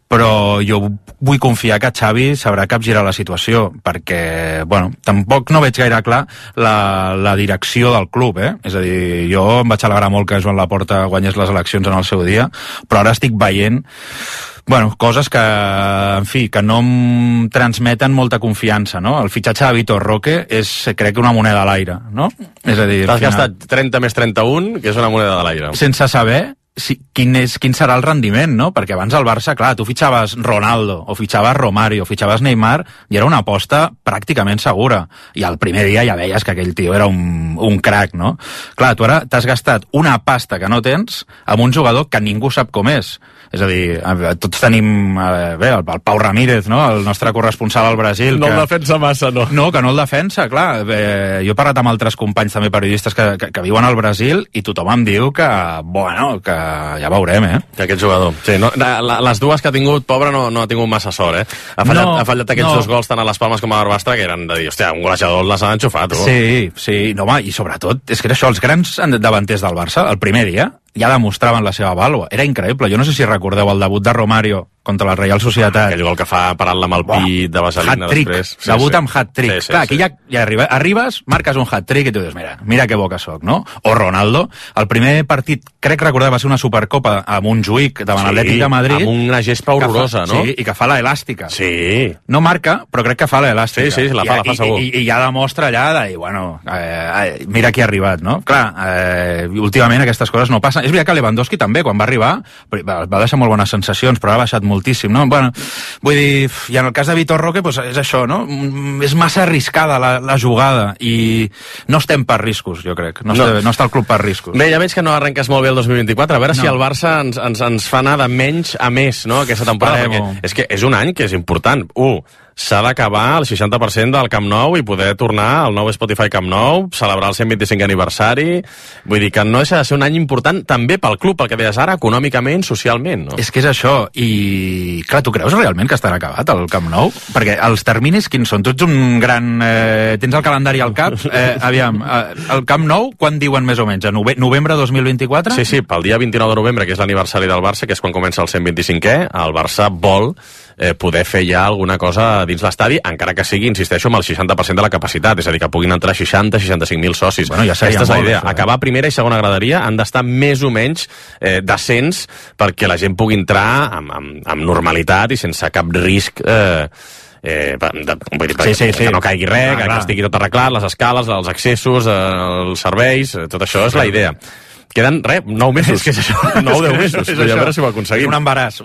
Però jo vull confiar que Xavi sabrà capgirar la situació, perquè tampoc no veig gaire clar la direcció del club, És a dir, jo em vaig alegrar molt que Joan Laporta guanyés les eleccions en el seu dia, però ara estic veient coses que, en fi, que no em transmeten molta confiança, no? El fitxatge de Vitor Roque és, crec, una moneda a l'aire, no? És a dir, t'has gastat 30 més 31, que és una moneda a l'aire. Sense saber quin serà el rendiment, no? Perquè abans al Barça, clar, tu fitxaves Ronaldo, o fitxaves Romario, o fitxaves Neymar, i era una aposta pràcticament segura. I el primer dia ja veies que aquell tio era un crac, no? Clar, tu ara t'has gastat una pasta que no tens amb un jugador que ningú sap com és. És a dir, tots tenim el Pau Ramírez, no?, el nostre corresponsal al Brasil. No el defensa massa, no. No, que no el defensa, clar. Jo he parlat amb altres companys també periodistes que viuen al Brasil i tothom em diu que ja veurem, Que aquest jugador. Sí, les dues que ha tingut, pobre, no ha tingut massa sort, Ha fallat aquests dos gols tant a les Palmes com a Barbastre, que eren de dir, hòstia, un golejador les han enxufat. Sí, no, home, i sobretot, és que era això, els grans davanters del Barça, el primer dia, ja demostraven la seva vàlua. Era increïble. Jo no sé si recordeu el debut de Romario contra la Real Societat. Aquell gol que fa parant-la amb el pit de vaselina després. Debut amb hat-trick. Clar, aquí ja arribes, marques un hat-trick i tu dius, mira que bo que soc, no? O Ronaldo, el primer partit, crec recordar, va ser una Supercopa amb un Montjuïc davant l'Atlètic de Madrid. Amb una gespa horrorosa, no? Sí, i que fa la elàstica. Sí. No marca, però crec que fa la elàstica. Sí, la fa segur. I ja demostra allà de dir, mira qui ha arribat, no? Clar, últimament aquestes coses no passen. És veritat que Lewandowski també, quan va arribar, va deixar molt bones sensacions, però ha baixat moltíssim, no? Vull dir, i en el cas de Vitor Roque, és això, no? És massa arriscada la jugada i no estem per riscos, jo crec. No està el club per riscos. Bé, ja veig que no arrenques molt bé el 2024. A veure si el Barça ens fa anar de menys a més, no?, aquesta temporada. És que és un any que és important. s'ha d'acabar el 60% del Camp Nou i poder tornar al nou Spotify Camp Nou, celebrar el 125 aniversari. Vull dir que no deixa de ser un any important també pel club, pel que deies ara, econòmicament, socialment, no? És que és això, i clar, tu creus realment que estarà acabat el Camp Nou? Perquè els terminis quins són? Tu ets un gran... tens el calendari al cap? Aviam, el Camp Nou, quan diuen més o menys? A novembre 2024? Sí, pel dia 29 de novembre, que és l'aniversari del Barça, que és quan comença el 125è, el Barça vol poder fer ja alguna cosa dins l'estadi, encara que sigui, insisteixo, amb el 60% de la capacitat, és a dir, que puguin entrar 60-65.000 socis. Bueno, ja seria Aquesta és la idea. Molt, acabar primera i segona graderia han d'estar més o menys decents perquè la gent pugui entrar amb normalitat i sense cap risc vull dir, que no caigui res, que estigui tot arreglat, les escales, els accessos, els serveis, tot això és la idea. Queden, 9 mesos. És que és això. 9 o 10 mesos. A veure si ho aconseguim. Un embaràs,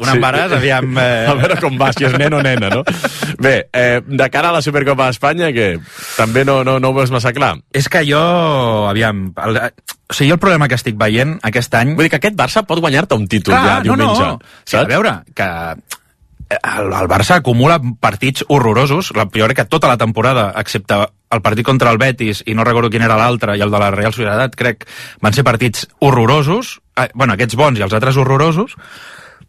aviam... A veure com va, si és nen o nena, no? Bé, de cara a la Supercopa d'Espanya, que també no ho veus massa clar. És que jo, aviam... O sigui, jo el problema que estic veient aquest any... Vull dir que aquest Barça pot guanyar-te un títol ja diumenge. Sí, a veure, que el Barça acumula partits horrorosos, jo crec que tota la temporada, excepte el partit contra el Betis, i no recordo quin era l'altre, i el de la Real Societat, crec, van ser partits horrorosos, bueno, aquests bons i els altres horrorosos,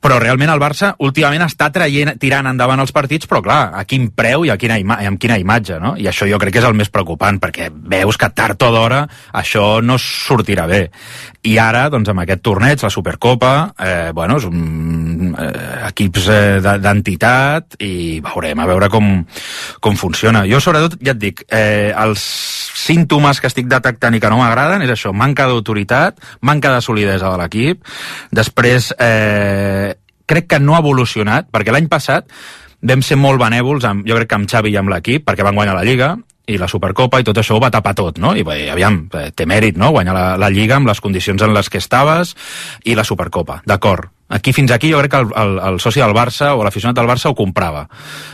però realment el Barça últimament està tirant endavant els partits, però clar, a quin preu i amb quina imatge, no? I això jo crec que és el més preocupant, perquè veus que tard o d'hora això no sortirà bé. I ara, doncs, amb aquest torneig, la Supercopa, bueno, és equips d'entitat, i veurem a veure com funciona. Jo, sobretot, ja et dic, els símptomes que estic detectant i que no m'agraden és això, manca d'autoritat, manca de solidesa de l'equip, després crec que no ha evolucionat, perquè l'any passat vam ser molt benèvols, jo crec que amb Xavi i amb l'equip, perquè van guanyar la Lliga i la Supercopa i tot això ho va tapar tot, no? I aviam, té mèrit, no?, guanyar la Lliga amb les condicions en les que estaves i la Supercopa, d'acord. Fins aquí jo crec que el soci del Barça o l'aficionat del Barça ho comprava.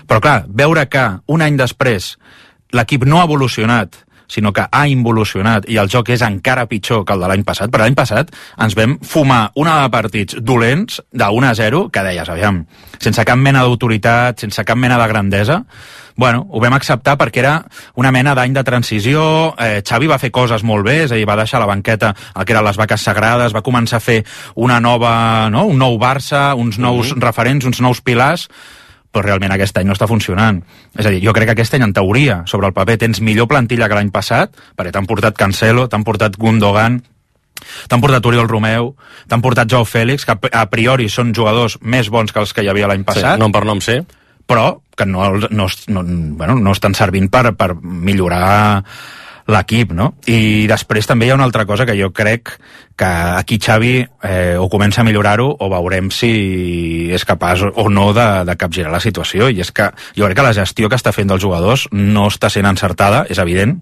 Però clar, veure que un any després l'equip no ha evolucionat, sinó que ha involucionat i el joc és encara pitjor que el de l'any passat. Per l'any passat ens vam fumar una de partits dolents de 1-0 que deies, aviam, sense cap mena d'autoritat, sense cap mena de grandesa. Bueno, ho vam acceptar perquè era una mena d'any de transició, Xavi va fer coses molt bé, és a dir, va deixar a la banqueta el que eren les vaques sagrades, va començar a fer una nova, no?, un nou Barça, uns nous referents, uns nous pilars, però realment aquest any no està funcionant. És a dir, jo crec que aquest any, en teoria, sobre el paper, tens millor plantilla que l'any passat, perquè t'han portat Cancelo, t'han portat Gundogan, t'han portat Oriol Romeu, t'han portat Joao Félix, que a priori són jugadors més bons que els que hi havia l'any passat. Sí, nom per nom, sí. Però que no estan servint per millorar l'equip, no? I després també hi ha una altra cosa que jo crec que aquí Xavi o comença a millorar-ho o veurem si és capaç o no de capgirar la situació, i és que jo crec que la gestió que està fent dels jugadors no està sent encertada, és evident,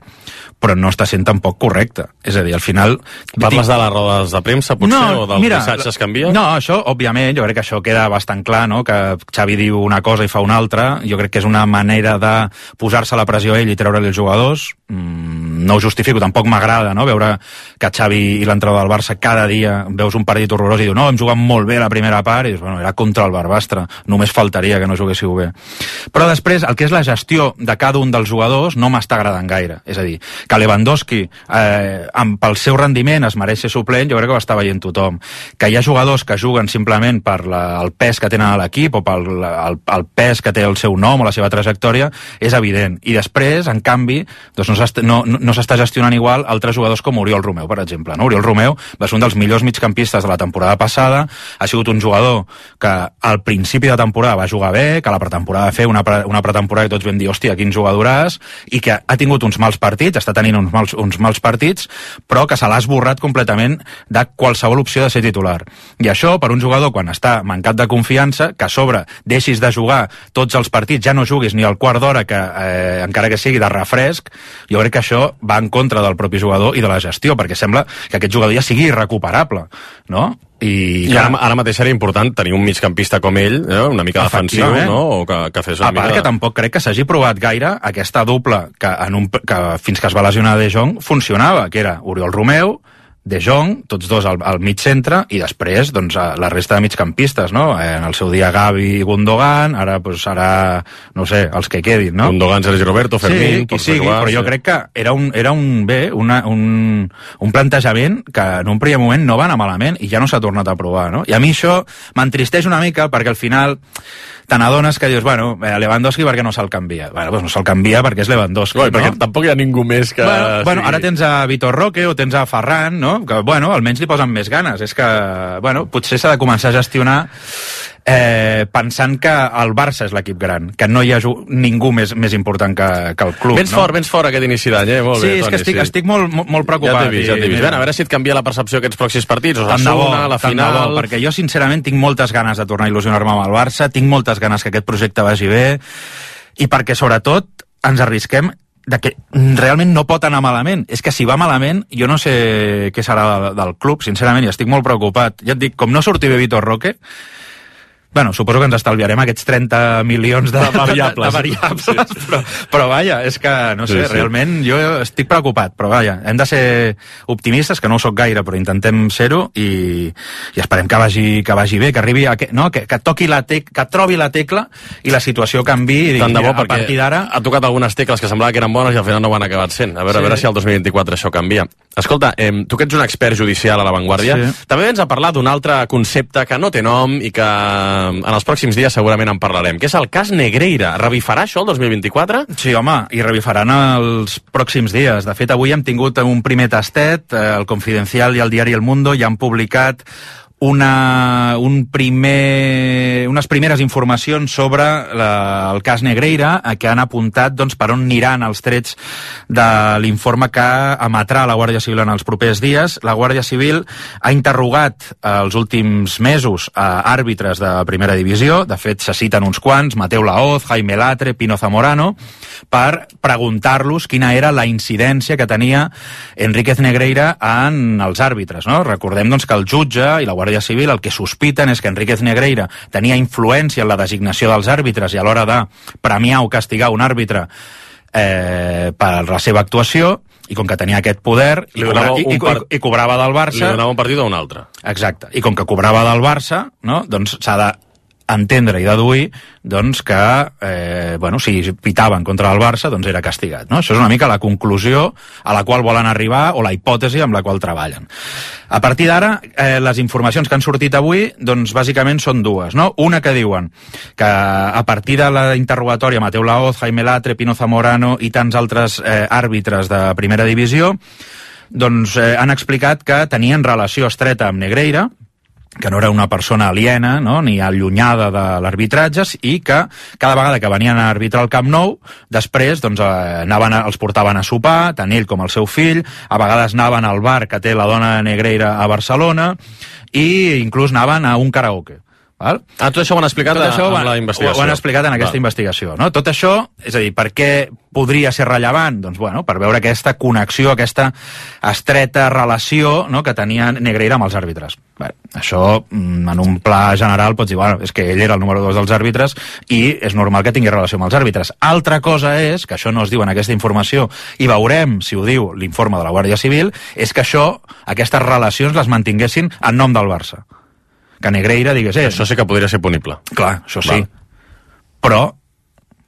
però no està sent tampoc correcta. És a dir, al final... Parles de les rodes de premsa, potser, o dels missatges que envia? No, això, òbviament, jo crec que això queda bastant clar, no?, que Xavi diu una cosa i fa una altra. Jo crec que és una manera de posar-se la pressió a ell i treure-li els jugadors. No ho justifico, tampoc m'agrada, no?, veure que Xavi i l'entrenador del Barça cada dia veus un partit horrorós i diu, no, hem jugat molt bé la primera part, i dius, bueno, era contra el Barbastre, només faltaria que no juguéssiu bé. Però després, el que és la gestió de cada un dels jugadors no m'està agradant gaire. És a dir, que Lewandowski, pel seu rendiment, es mereix ser suplent, jo crec que ho està veient tothom. Que hi ha jugadors que juguen simplement per el pes que tenen a l'equip o pel pes que té el seu nom o la seva trajectòria, és evident. I després, en canvi, doncs no s'està gestionant igual altres jugadors com Oriol Romeu, per exemple. No? Oriol Romeu va ser un dels millors migcampistes de la temporada passada, ha sigut un jugador que al principi de temporada va jugar bé, que a la pretemporada va fer una pretemporada i tots vam dir, hòstia, quin jugadoràs, i que ha tingut uns mals partits, està tenint uns mals partits, però que se l'ha esborrat completament de qualsevol opció de ser titular. I això, per un jugador, quan està mancat de confiança, que a sobre deixis de jugar tots els partits, ja no juguis ni el quart d'hora, que encara que sigui de refresc, jo crec que això va en contra del propi jugador i de la gestió, perquè sembla que aquest jugador ja sigui irrecuperable, no? I ara mateix seria important tenir un migcampista com ell, una mica defensiu, no? O que fes una mica... A part que tampoc crec que s'hagi provat gaire aquesta dupla que fins que es va lesionar De Jong funcionava, que era Oriol Romeu, De Jong, tots dos al mig centre, i després doncs, la resta de migcampistes, no? En el seu dia Gavi i Gundogan, ara, no sé, els que quedin, no? Gundogan, Sergi Roberto, Fermín... Sí, qui sigui, però jo crec que era un plantejament que en un primer moment no va anar malament i ja no s'ha tornat a provar, no? I a mi això m'entristeix una mica perquè al final te n'adones que dius, bueno, Lewandowski perquè no se'l canvia? Bueno, doncs no se'l canvia perquè és Lewandowski, no? Perquè tampoc hi ha ningú més que... Bueno, ara tens a Vitor Roque o tens a Ferran, no? Que, bueno, almenys li posen més ganes. És que, bueno, potser s'ha de començar a gestionar pensant que el Barça és l'equip gran, que no hi ha ningú més important que el club. Vens fort aquest inici d'any, molt bé, Toni. Sí, és que estic molt preocupat. Ja t'he vist. A veure si et canvia la percepció aquests pròxims partits, Osasuna, la final... Perquè jo, sincerament, tinc moltes ganes de tornar a il·lusionar-me amb el Barça, tinc moltes ganes que aquest projecte vagi bé, i perquè, sobretot, ens arrisquem de que realment no pot anar malament. És que si va malament, jo no sé què serà del club, sincerament, i estic molt preocupat. Ja et dic, com no surti bé Vitor Roque, bueno, suposo que ens estalviarem aquests 30 milions de variables, sí. però vaja, és que, no sé, realment jo estic preocupat, però vaja, hem de ser optimistes, que no ho soc gaire, però intentem ser-ho i esperem que vagi bé, que arribi que toqui que trobi la tecla i la situació canvi i tant de bo, a partir d'ara... Ha tocat algunes tecles que semblava que eren bones i al final no ho han acabat sent. A veure si el 2024 això canvia. Escolta, tu que ets un expert judicial a La Vanguardia, també vens a parlar d'un altre concepte que no té nom i que en els pròxims dies segurament en parlarem, que és el cas Negreira. Revifarà això el 2024? Sí, home, i revifaran els pròxims dies. De fet, avui hem tingut un primer tastet, el Confidencial i el diari El Mundo ja han publicat unes primeres informacions sobre el cas Negreira, que han apuntat doncs, per on aniran els trets de l'informe que emetrà la Guàrdia Civil en els propers dies. La Guàrdia Civil ha interrogat els últims mesos a àrbitres de primera divisió, de fet se citen uns quants, Mateu Laoz, Jaime Latre, Pino Zamorano, per preguntar-los quina era la incidència que tenia Enríquez Negreira en els àrbitres, no? Recordem doncs, que el jutge i la Guàrdia Civil el que sospiten és que Enríquez Negreira tenia influència en la designació dels àrbitres i a l'hora de premiar o castigar un àrbitre per la seva actuació, i com que tenia aquest poder i cobrava del Barça... Li donava un partit a un altre. Exacte. I com que cobrava del Barça, no? Doncs s'ha d'entendre i deduir doncs, que si pitaven contra el Barça doncs era castigat. No? Això és una mica la conclusió a la qual volen arribar o la hipòtesi amb la qual treballen. A partir d'ara, les informacions que han sortit avui, doncs bàsicament són dues. No? Una que diuen que a partir de la interrogatòria Mateu Laoz, Jaime Latre, Pino Zamorano i tants altres àrbitres de primera divisió, doncs han explicat que tenien relació estreta amb Negreira, que no era una persona aliena, no? Ni allunyada de l'arbitratge, i que cada vegada que venien a arbitrar al Camp Nou, després doncs, els portaven a sopar, tant ell com el seu fill, a vegades anaven al bar que té la dona Negreira a Barcelona, i inclús anaven a un karaoke. Val? Tot això ho han explicat en la investigació. Ho han explicat en aquesta investigació. No? Tot això, és a dir, per què podria ser rellevant? Doncs, bueno, per veure aquesta connexió, aquesta estreta relació, no?, que tenia Negreira amb els àrbitres. Bé, això, en un pla general, pots dir, bueno, és que ell era el número 2 dels àrbitres i és normal que tingui relació amb els àrbitres. Altra cosa és, que això no es diu en aquesta informació, i veurem si ho diu l'informe de la Guàrdia Civil, és que aquestes relacions les mantinguessin en nom del Barça. Que Negreira digués... Això sí que podria ser punible. Clar, això sí. Però,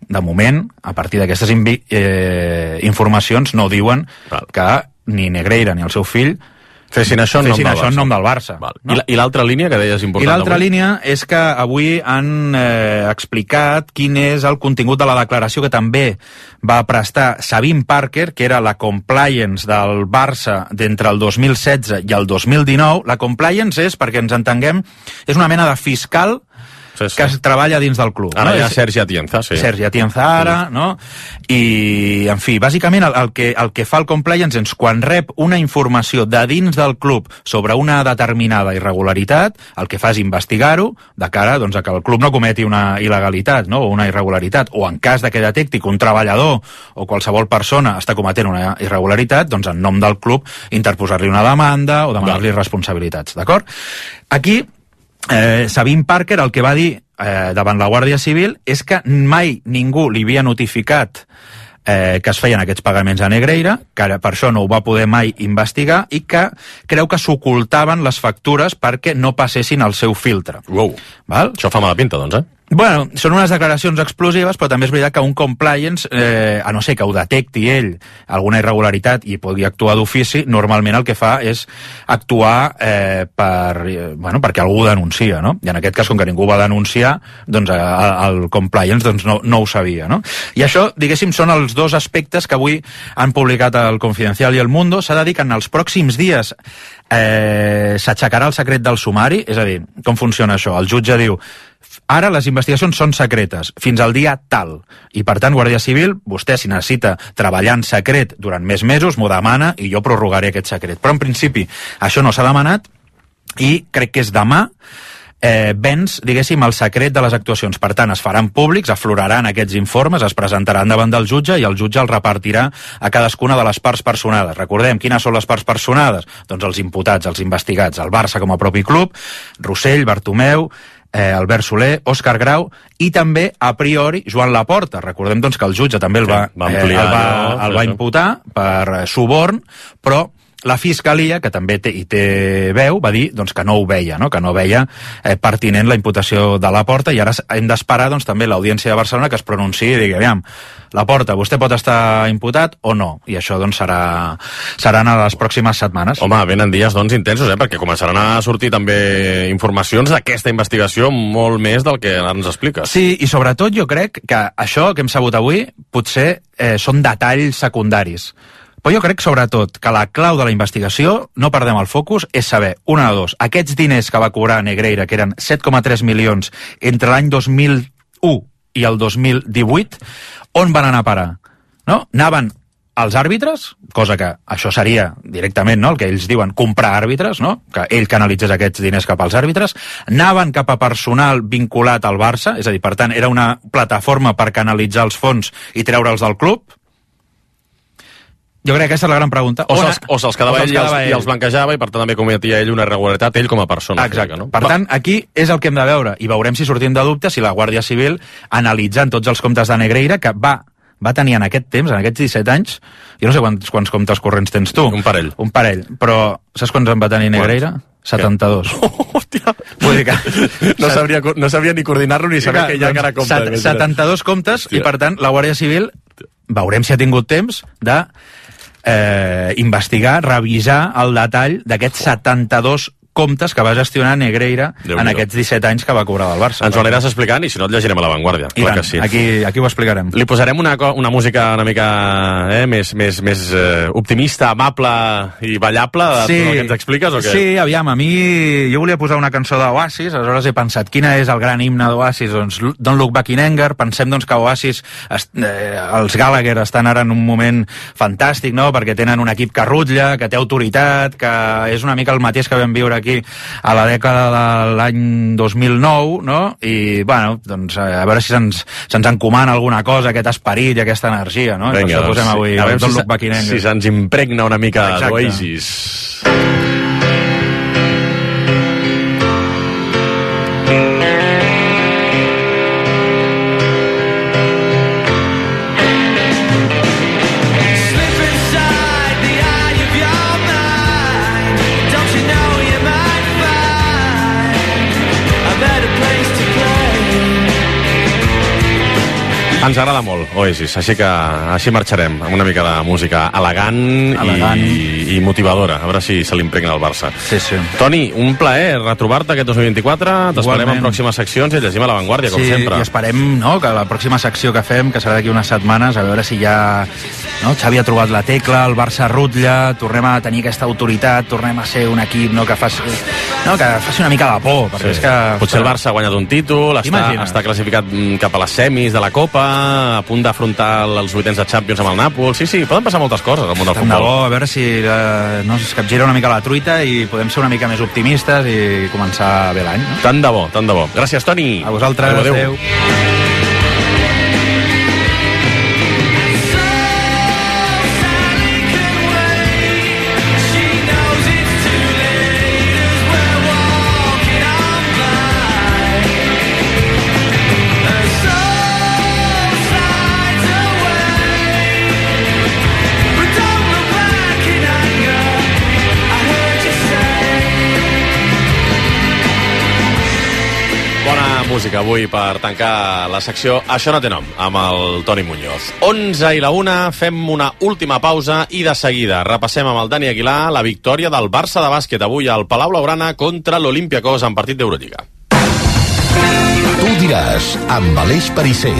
de moment, a partir d'aquestes informacions no diuen que ni Negreira ni el seu fill fessin això en nom del Barça. No? I l'altra línia que deies important? I l'altra línia és que avui han explicat quin és el contingut de la declaració que també va prestar Sabine Parker, que era la compliance del Barça d'entre el 2016 i el 2019. La compliance és, perquè ens entenguem, és una mena de fiscal que es treballa dins del club. Ara hi ha Sergi Atienza, sí. Sergi Atienza ara, no? I, en fi, bàsicament el que fa el compliance és quan rep una informació de dins del club sobre una determinada irregularitat, el que fa és investigar-ho de cara doncs, a que el club no cometi una il·legalitat, no? O una irregularitat, o en cas de que detecti que un treballador o qualsevol persona està cometent una irregularitat, doncs en nom del club interposar-li una demanda o demanar-li responsabilitats, d'acord? Aquí Sabine Parker el que va dir davant la Guàrdia Civil és que mai ningú li havia notificat que es feien aquests pagaments a Negreira, que per això no ho va poder mai investigar i que creu que s'ocultaven les factures perquè no passessin al seu filtre. Wow. Val? Això fa mala pinta, doncs, Bueno, són unes declaracions explosives, però també és veritat que un compliance, a no ser que ho detecti ell alguna irregularitat i pugui actuar d'ofici, normalment el que fa és actuar perquè algú denuncia, no? I en aquest cas, com que ningú va denunciar, doncs el compliance no ho sabia, no? I això, diguéssim, són els dos aspectes que avui han publicat el Confidencial i el Mundo. S'ha de dir que en els pròxims dies s'aixecarà el secret del sumari, és a dir, com funciona això? El jutge diu: ara les investigacions són secretes, fins al dia tal. I, per tant, Guàrdia Civil, vostè, si necessita treballar en secret durant més mesos, m'ho demana i jo prorrogaré aquest secret. Però, en principi, això no s'ha demanat i crec que és demà venç, diguéssim, el secret de les actuacions. Per tant, es faran públics, afloraran aquests informes, es presentaran davant del jutge i el jutge els repartirà a cadascuna de les parts personades. Recordem, quines són les parts personades? Doncs els imputats, els investigats, el Barça com a propi club, Rossell, Bartomeu, Albert Soler, Òscar Grau i també, a priori, Joan Laporta. Recordem doncs, que el jutge també el va imputar per suborn, però la Fiscalia, que també hi té veu, va dir doncs, que no ho veia, no? Que no veia pertinent la imputació de Laporta, i ara hem d'esperar doncs, també l'Audiència de Barcelona que es pronunciï i digui: aviam, Laporta, vostè pot estar imputat o no? I això doncs, seran a les pròximes setmanes. Home, venen dies doncs, intensos, perquè començaran a sortir també informacions d'aquesta investigació molt més del que ara ens expliques. Sí, i sobretot jo crec que això que hem sabut avui potser són detalls secundaris. Però jo crec, sobretot, que la clau de la investigació, no perdem el focus, és saber, una de dos, aquests diners que va cobrar Negreira, que eren 7,3 milions entre l'any 2001 i el 2018, on van anar a parar? No? Anaven als àrbitres, cosa que això seria directament, no?, el que ells diuen comprar àrbitres, no?, que ell canalitzés aquests diners cap als àrbitres, anaven cap a personal vinculat al Barça, és a dir, per tant, era una plataforma per canalitzar els fons i treure'ls del club. Jo crec que aquesta és la gran pregunta. O se'ls quedava ell i els blanquejava, i per tant també cometia ell una irregularitat, ell com a persona. Exacte. No? Per tant, aquí és el que hem de veure, i veurem si sortim de dubte si la Guàrdia Civil, analitzant tots els comptes de Negreira, que va tenir en aquest temps, en aquests 17 anys, jo no sé quants comptes corrents tens tu. Un parell. Però saps quants en va tenir Negreira? 72. Hòstia! Vull dir que... No sabria ni coordinar-lo ni saber que hi ha encara comptes. 72 comptes, i per tant, la Guàrdia Civil, veurem si ha tingut temps de investigar, revisar el detall d'aquests 72 comptes que va gestionar Negreira en aquests 17 anys que va cobrar del Barça. Ens ho aniràs explicant, i si no et llegirem a l'avantguàrdia. Clar que sí. Aquí ho explicarem. Li posarem una música una mica més optimista, amable i ballable de tot el que ens expliques, o què? Sí, aviam, a mi jo volia posar una cançó d'Oasis, aleshores he pensat quina és el gran himne d'Oasis, doncs Don't Look Back in Anger. Pensem doncs que Oasis, els Gallagher estan ara en un moment fantàstic, no?, perquè tenen un equip que rutlla, que té autoritat, que és una mica el mateix que vam viure aquí a la dècada de l'any 2009, no? I, bueno, doncs a veure si se'ns encomana alguna cosa, aquest esperit i aquesta energia, no? Vinga, per això posem avui Don't Look Back in Anger. Si se'ns impregna una mica d'Oasis. Ens agrada molt Oasis, així marxarem amb una mica de música elegant. I motivadora, a veure si se l'impregna al Barça. Sí. Toni, un plaer retrobar-te aquest 2024, t'esperem en pròximes seccions i llegim a l'avantguàrdia, com sempre. Sí, i esperem, no?, que la pròxima secció que fem, que serà d'aquí unes setmanes, a veure si ja, no?, Xavi ha trobat la tecla, el Barça rutlla, tornem a tenir aquesta autoritat, tornem a ser un equip, no?, que faci una mica de por, perquè és que... Potser el Barça ha guanyat un títol, està classificat cap a les semis de la Copa, a punt d'afrontar els vuitens de Champions amb el Nàpols. Sí, poden passar moltes coses al món del futbol. Tant de bo, a veure si es capgira una mica la truita i podem ser una mica més optimistes i començar bé l'any. No? Tant de bo. Gràcies, Toni. A vosaltres. Adéu. música avui per tancar la secció Això no té nom, amb el Toni Muñoz. 11 i la 1, fem una última pausa i de seguida repassem amb el Dani Aguilar la victòria del Barça de bàsquet avui al Palau Blaugrana contra l'Olympiacos en partit d'Eurolliga. Tu diràs, amb Aleix Perisser.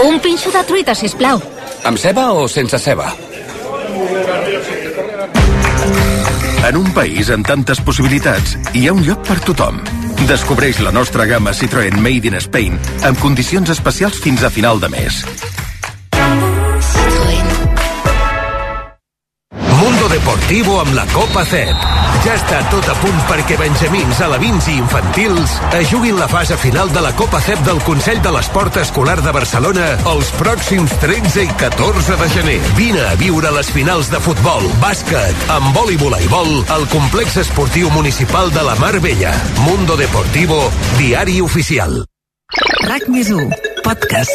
Un pinxo de truita, sisplau. Amb ceba o sense ceba? En un país amb tantes possibilitats, hi ha un lloc per tothom. Descobreix la nostra gamma Citroën Made in Spain amb condicions especials fins a final de mes. Mundo Deportivo amb la Copa CEP. Ja està tot a punt perquè benjamins, alevins i infantils es juguin la fase final de la Copa CEP del Consell de l'Esport Escolar de Barcelona els pròxims 13 i 14 de gener. Vine a viure les finals de futbol, bàsquet, handbol i voleibol al complex esportiu municipal de la Mar Bella. Mundo Deportivo, diari oficial. RAC+1, podcast.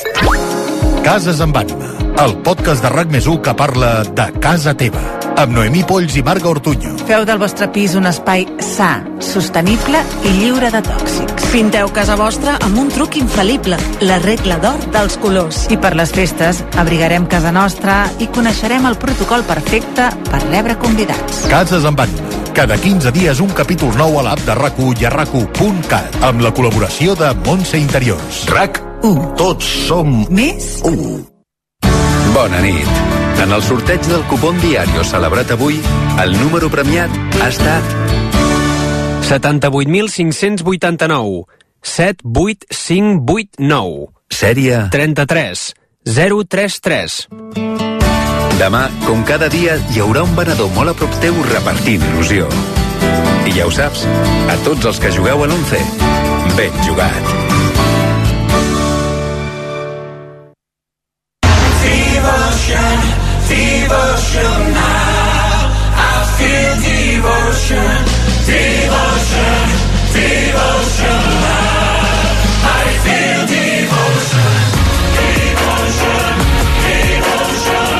Cases amb ànima, el podcast de RAC+1 que parla de casa teva, amb Noemí Polls i Marga Ortuño. Feu del vostre pis un espai sa, sostenible i lliure de tòxics. Pinteu casa vostra amb un truc infal·lible, la regla d'or dels colors. I per les festes abrigarem casa nostra i coneixerem el protocol perfecte per rebre convidats. Cases amb ànima. Cada 15 dies un capítol nou a l'app de RAC1 i a RAC1.cat amb la col·laboració de Montse Interiors. RAC1. Tots som més 1. Bona nit. En el sorteig del cupón Diario celebrat avui, el número premiat ha estat 78.589 78589. Sèrie 33 033. Demà, com cada dia, hi haurà un venedor molt a prop teu repartint il·lusió. I ja ho saps, a tots els que jugueu a l'11, ben jugat. Devotion, devotion now. I feel devotion, devotion, devotion now. I feel devotion, devotion, devotion.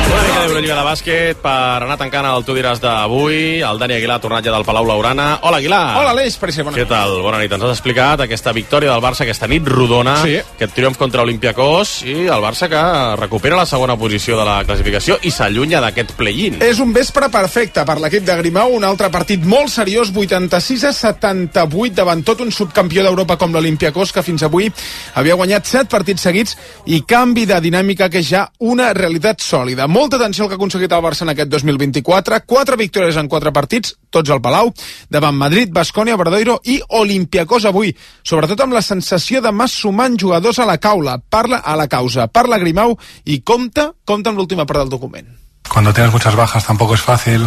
Una mica d'Eurolliga de bàsquet per anar tancant el Tu diràs d'avui. El Dani Aguilar, tornat ja del Palau Blaugrana. Hola, Aguilar. Hola, Aleix, per bona nit. Què tal? Bona nit. Ens has explicat aquesta victòria del Barça, aquesta nit rodona, sí. Aquest triomf contra Olympiacos i el Barça que recupera la segona posició de la classificació i s'allunya d'aquest play-in. És un vespre perfecte per l'equip de Grimau, un altre partit molt seriós, 86-78 davant tot un subcampió d'Europa com l'Olympiacos, que fins avui havia guanyat 7 partits seguits i canvi de dinàmica que és ja una realitat sòlida. Molta atenció al que ha aconseguit el Barça en aquest 2024, 4 victòries en 4 partits, tots al Palau, davant Madrid, Baskonia, Obradoiro i Olympiacos avui, sobretot amb la sensació de mas sumant jugadors a la causa, parla Grimau i compta amb l'última part del document. Cuando tienes muchas bajas tampoco es fácil,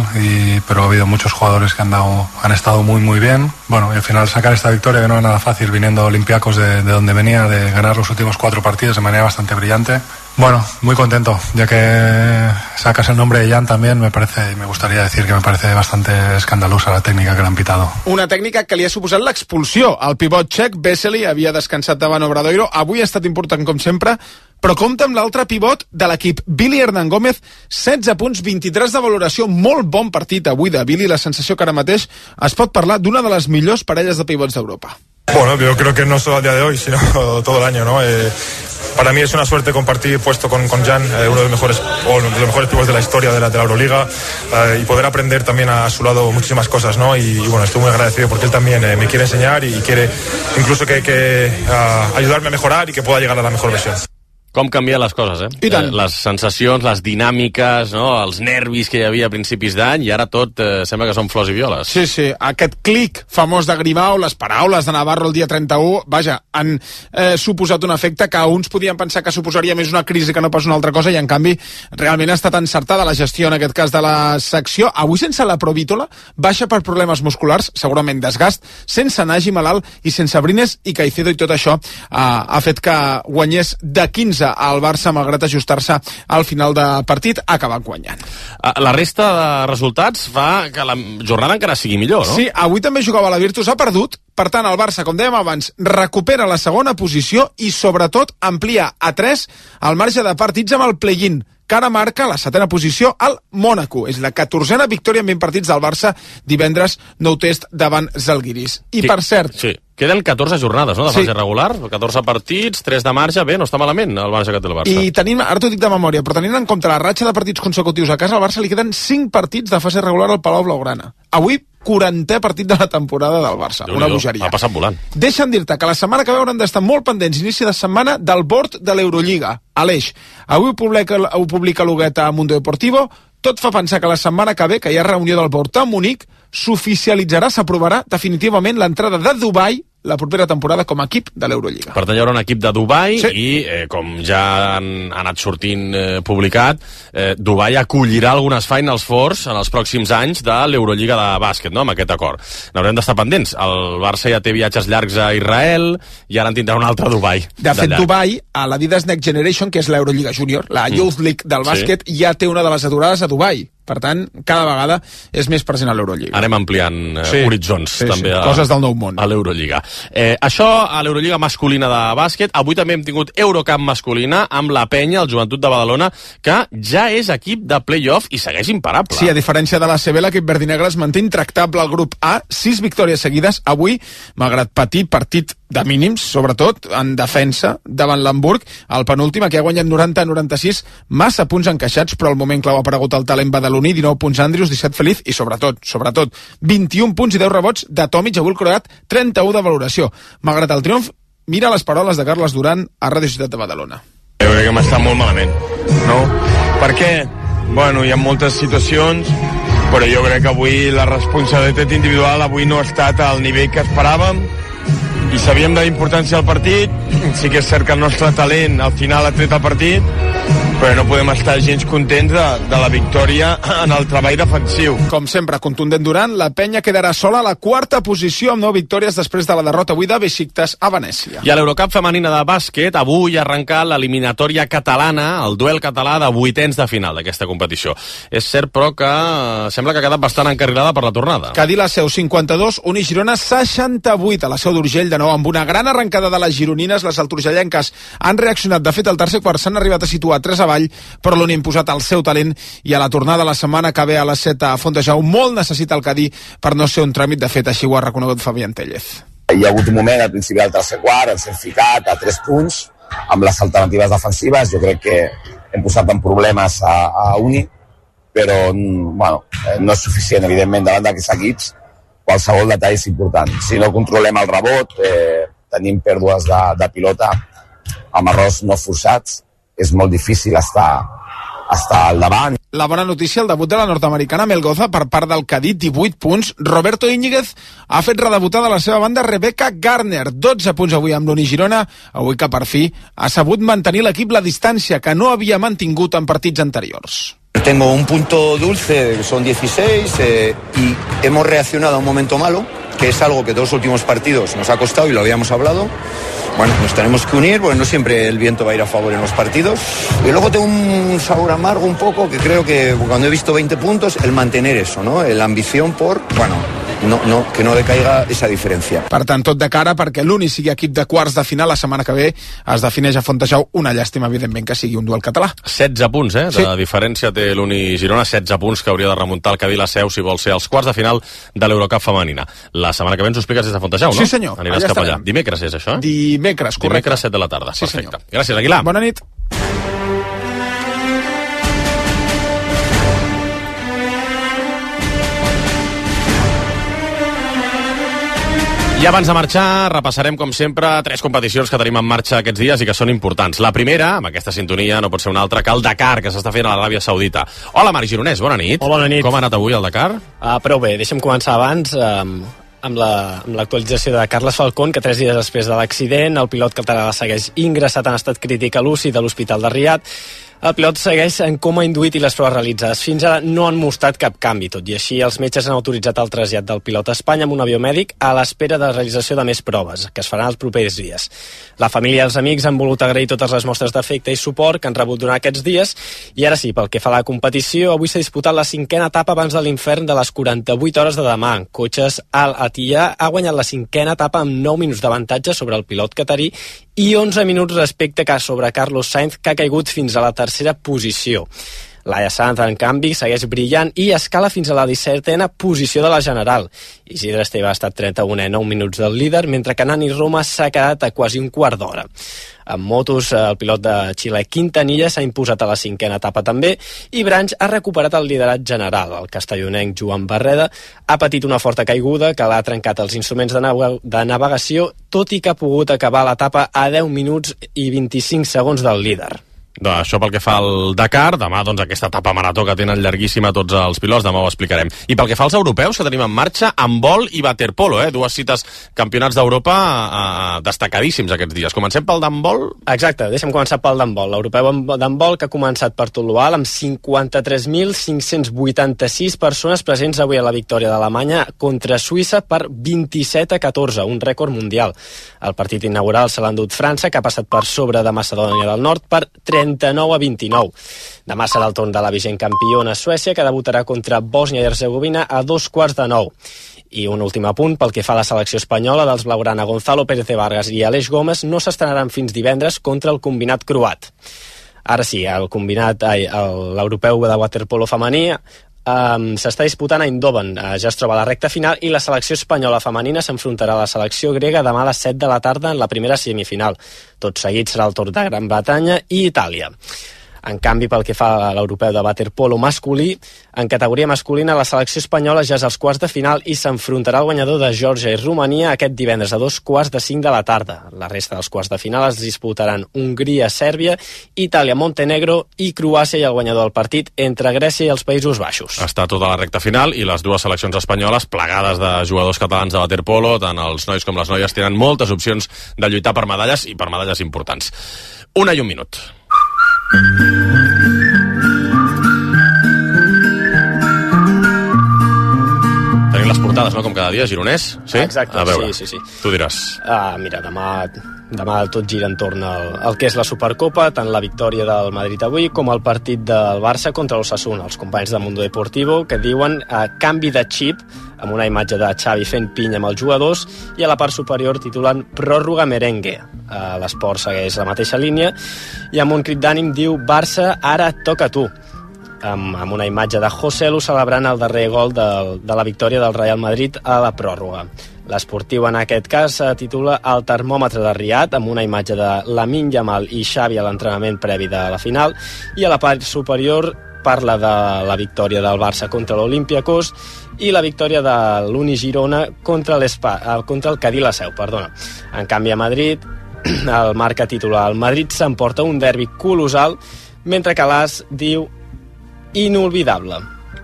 pero ha habido muchos jugadores que han estado muy muy bien. Bueno, y al final sacar esta victoria que no es nada fácil viniendo Olympiacos de donde venía, de ganar los últimos 4 partidos de manera bastante brillante. Bueno, muy contento, ya que sacas el nombre de Jan también, me gustaría decir que me parece bastante escandalosa la técnica que le han pitado. Una tècnica que li ha suposat l'expulsió. El pivot txec, Vesely, havia descansat davant Obradoiro, avui ha estat important com sempre, però compta amb l'altre pivot de l'equip, Billy Hernán Gómez, 16 punts, 23 de valoració, molt bon partit avui de Billy, la sensació que ara mateix es pot parlar d'una de les millors parelles de pivots d'Europa. Bueno, yo creo que no solo al día de hoy, sino todo el año, ¿no? Para mí es una suerte compartir puesto con Jan, uno de los mejores pivots de la historia de la Euroliga, y poder aprender también a su lado muchísimas cosas, ¿no? Y bueno, estoy muy agradecido porque él también me quiere enseñar y quiere incluso que ayudarme a mejorar y que pueda llegar a la mejor versión. Com canvien les coses, I tant. Les sensacions, les dinàmiques, no? Els nervis que hi havia a principis d'any, i ara tot sembla que són flors i violes. Sí, sí, aquest clic famós de Grimau, les paraules de Navarro el dia 31, vaja, han suposat un efecte que uns podien pensar que suposaria més una crisi que no pas una altra cosa, i en canvi realment ha estat encertada la gestió, en aquest cas, de la secció. Avui sense la Provítola, baixa per problemes musculars, segurament desgast, sense Nagy malalt i sense Brines i Caicedo, i tot això ha fet que guanyés de 15 al Barça, malgrat ajustar-se al final de partit, ha acabat guanyant. La resta de resultats fa que la jornada encara sigui millor, no? Sí, avui també jugava la Virtus, ha perdut, per tant el Barça, com dèiem abans, recupera la segona posició i sobretot amplia a 3 el marge de partits amb el play-in. que ara marca la 7a posició al Mònaco. És la 14a victòria en 20 partits del Barça, divendres nou test davant Zalgiris. I per cert... Sí. Queden 14 jornades, no?, de fase regular, 14 partits, 3 de marge, bé, no està malament el Barça que té el Barça. I tenim, ara t'ho dic de memòria, però tenint en compte la ratxa de partits consecutius a casa, al Barça li queden 5 partits de fase regular al Palau Blaugrana. Avui, 40è partit de la temporada del Barça. Una bogeria. Ha passat volant. Deixa'm dir-te que la setmana que ve hauran d'estar molt pendents, inici de setmana, del board de l'Eurolliga, Aleix. Avui ho publica l'Huguet a Mundo Deportivo. Tot fa pensar que la setmana que ve, que hi ha reunió del board a Munic, s'oficialitzarà, s'aprovarà definitivament l'entrada de Dubai la propera temporada com a equip de l'Eurolliga. Per tant, hi haurà un equip de Dubai i, com ja han anat sortint publicat, Dubai acollirà algunes Finals Fours en els pròxims anys de l'Eurolliga de bàsquet, no?, amb aquest acord. N'haurem d'estar pendents. El Barça ja té viatges llargs a Israel i ara en tindrà un altre Dubai. De fet, Dubai, a l'Adidas Next Generation, que és l'Eurolliga Júnior, la Youth League del bàsquet, ja té una de les aturades a Dubai. Per tant, cada vegada és més present a l'Eurolliga. Anem ampliant horitzons també coses del nou món. A l'Eurolliga. Això a l'Eurolliga masculina de bàsquet. Avui també hem tingut Eurocup masculina amb la Penya, el Joventut de Badalona, que ja és equip de play-off i segueix imparable. Sí, a diferència de la CB, l'equip verdinegre es manté intractable al grup A, 6 victòries seguides. Avui, malgrat patir partit de mínims, sobretot en defensa, davant l'Hamburg, el penúltim, que ha guanyat 90-96, massa punts encaixats, però al moment clau ha aparegut el talent badaloní, 19 punts Andrius, 17 Feliz i sobretot, 21 punts i 10 rebots de Tomic, avui el croat, 31 de valoració. Malgrat el triomf, mira les paraules de Carles Duran a Ràdio Ciutat de Badalona. Jo crec que m'està molt malament, no? Per què? Bueno, hi ha moltes situacions, però jo crec que avui la responsabilitat individual avui no ha estat al nivell que esperàvem i sabíem de la importància del partit. Sí que és cert que el nostre talent al final ha tret el partit, però no podem estar gens contents de la victòria en el treball defensiu. Com sempre, contundent Durant, la Penya quedarà sola a la 4a posició amb 9 victòries després de la derrota avui de Besiktas a Venècia. I a l'Eurocup femenina de bàsquet, avui ha arrencat l'eliminatòria catalana, el duel català de vuitens de final d'aquesta competició. És cert, però, que sembla que ha quedat bastant encarrilada per la tornada. Cadí la Seu 52, Uni Girona 68, a la Seu d'Urgell de nou amb una gran arrencada de les gironines. Les alturgellenques han reaccionat. De fet, al tercer quart s'han arribat a situar 3 avall, però l'Uni ha imposat el seu talent i a la tornada la setmana que ve a les 7 a Fontejau molt necessita el Cadí per no ser un tràmit. De fet, així ho ha reconegut Fabián Tellez. Hi ha hagut un moment al principi del tercer quart, ens hem ficat a 3 punts amb les alternatives defensives. Jo crec que hem posat en problemes a Uni, però bueno, no és suficient, evidentment, davant d'aquests equips. Qualsevol detall és important. Si no controlem el rebot, tenim pèrdues de pilota amb errors no forçats, és molt difícil estar al davant. La bona notícia, el debut de la nord-americana Melgoza per part del Cadí, 18 punts. Roberto Íñiguez ha fet redebutar de la seva banda Rebecca Garner, 12 punts avui amb l'Uni Girona, avui que per fi ha sabut mantenir l'equip la distància que no havia mantingut en partits anteriors. Tengo un punto dulce, son 16, y hemos reaccionado a un momento malo, que es algo que 2 últimos partidos nos ha costado y lo habíamos hablado. Bueno, nos tenemos que unir, porque no siempre el viento va a ir a favor en los partidos. Y luego tengo un sabor amargo un poco, que creo que cuando he visto 20 puntos, el mantener eso, ¿no? La ambición por, bueno, que no decaiga esa diferència. Per tant, tot de cara perquè l'Uni sigui equip de quarts de final la setmana que ve es defineix a Fontejau. Una llàstima, evidentment, que sigui un duel català. 16 punts, Sí. De diferència té l'Uni Girona, 16 punts que hauria de remuntar el Cadí la Seu si vol ser als quarts de final de l'Eurocup femenina. La setmana que ve ens ho expliques des de Fontejau, no? Sí, senyor. Aniràs cap allà. Dimecres és això, Dimecres, correcte. Dimecres 7 de la tarda, sí, perfecte. Senyor. Gràcies, Aguilar. Bona nit. I abans de marxar, repassarem, com sempre, 3 competicions que tenim en marxa aquests dies i que són importants. La primera, amb aquesta sintonia, no pot ser una altra que el Dakar, que s'està fent a l'Aràbia Saudita. Hola, Marc Gironès, bona nit. Hola, bona nit. Com ha anat avui el Dakar? Prou bé, deixa'm començar abans amb l'actualització de Carles Falcón, que 3 dies després de l'accident, el pilot català segueix ingressat en estat crític a l'UCI de l'Hospital de Riad. El pilot segueix en coma induït i les proves realitzades fins ara no han mostrat cap canvi. Tot i així, els metges han autoritzat el trasllat del pilot a Espanya amb un avió mèdic a l'espera de la realització de més proves, que es faran els propers dies. La família i els amics han volut agrair totes les mostres d'afecte i suport que han rebut durant aquests dies. I ara sí, pel que fa a la competició, avui s'ha disputat la 5a etapa abans de l'infern de les 48 hores de demà. Cotxes Al Attiyah ha guanyat la 5a etapa amb 9 minuts d'avantatge sobre el pilot catarí i 11 minuts respecte sobre Carlos Sainz, que ha caigut fins a la tercera tercera posició. Laia Sanz, en canvi, segueix brillant i escala fins a la 17a posició de la general. Isidre Esteve ha estat 31 a 9 minuts del líder, mentre que Nani Roma s'ha quedat a quasi un quart d'hora. En motos, el pilot de Xile Quintanilla s'ha imposat a la 5a etapa també i Branch ha recuperat el liderat general. El castellonenc Joan Barreda ha patit una forta caiguda que l'ha trencat els instruments de navegació, tot i que ha pogut acabar l'etapa a 10 minuts i 25 segons del líder. Això pel que fa al Dakar, demà doncs aquesta etapa marató que tenen llarguíssima tots els pilots, demà ho explicarem. I pel que fa als europeus que tenim en marxa, handbol i waterpolo, dues cites campionats d'Europa destacadíssims aquests dies. Comencem pel d'handbol? Exacte, deixa'm començar pel d'handbol. L'europeu d'handbol que ha començat per Tolual amb 53.586 persones presents avui a la victòria d'Alemanya contra Suïssa per 27-14, un rècord mundial. El partit inaugural se l'ha endut França, que ha passat per sobre de Macedònia del Nord per 39-29. Demà serà el torn de la vigent campiona Suècia, que debutarà contra Bòsnia i Hercegovina a 8:45. I un últim apunt, pel que fa a la selecció espanyola dels blaugrana Gonzalo Pérez de Vargas i Aleix Gómez no s'estrenaran fins divendres contra el combinat croat. Ara sí, l'europeu de waterpolo femení s'està disputant a Eindhoven, ja es troba a la recta final i la selecció espanyola femenina s'enfrontarà a la selecció grega demà a les 7 de la tarda en la primera semifinal. Tot seguit serà el torn de Gran Bretanya i Itàlia. En canvi, pel que fa a l'europeu de waterpolo masculí, en categoria masculina la selecció espanyola ja és als quarts de final i s'enfrontarà al guanyador de Geòrgia i Romania aquest divendres a 2:45 de la tarda. La resta dels quarts de final es disputaran Hongria-Sèrbia, Itàlia-Montenegro i Croàcia i el guanyador del partit entre Grècia i els Països Baixos. Està tota la recta final i les dues seleccions espanyoles plegades de jugadors catalans de waterpolo, tant els nois com les noies tenen moltes opcions de lluitar per medalles i per medalles importants. 1 i 1 minut. Tenim les portades, no?, com cada dia, gironès? Sí? Exacte, a veure, sí. Tu diràs. Mira, demà tot gira entorn al que és la Supercopa, tant la victòria del Madrid avui com el partit del Barça contra l'Osasuna. Els companys de Mundo Deportivo que diuen canvi de xip, amb una imatge de Xavi fent pinya amb els jugadors, i a la part superior titulen pròrroga merengue. L'Esport segueix la mateixa línia i amb un crit d'ànim diu Barça, ara et toca a tu, amb una imatge de José Lu celebrant el darrer gol de la victòria del Real Madrid a la pròrroga. L'Esportiu en aquest cas titula El termòmetre de Riad, amb una imatge de Lamine Yamal i Xavi a l'entrenament previ de la final, i a la part superior parla de la victòria del Barça contra l'Olympiacos i la victòria de l'Uni Girona contra el Cadí la Seu. En canvi, a Madrid, el Marca titula El Madrid s'emporta un derbi colossal, mentre que l'As diu inolvidable.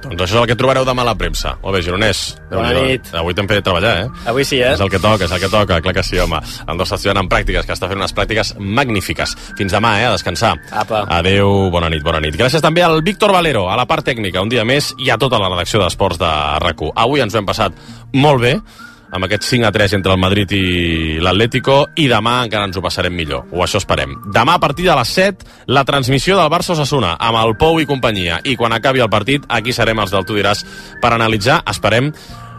Doncs això és el que trobareu demà a la premsa. Molt bé, gironès. Bona nit. Avui t'hem fet treballar, Avui sí, És el que toca, clar que sí, home. El nostre estudiant en pràctiques, que està fent unes pràctiques magnífiques. Fins demà, a descansar. Apa. Adeu, bona nit. Gràcies també al Víctor Valero, a la part tècnica, un dia més, i a tota la redacció d'Esports de RAC1. Avui ens ho hem passat molt bé, amb aquest 5-3 entre el Madrid i l'Atlético, i demà encara ens ho passarem millor, o això esperem. Demà a partir de les 7, la transmissió del Barça-Osasuna, amb el Pou i companyia, i quan acabi el partit, aquí serem els del Tu diràs per analitzar, esperem,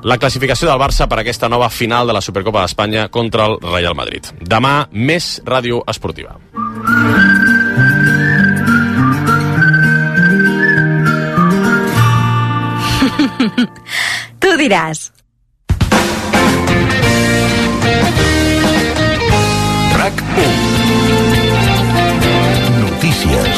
la classificació del Barça per aquesta nova final de la Supercopa d'Espanya contra el Real Madrid. Demà, més ràdio esportiva. Tu diràs. RAC1. Notícies.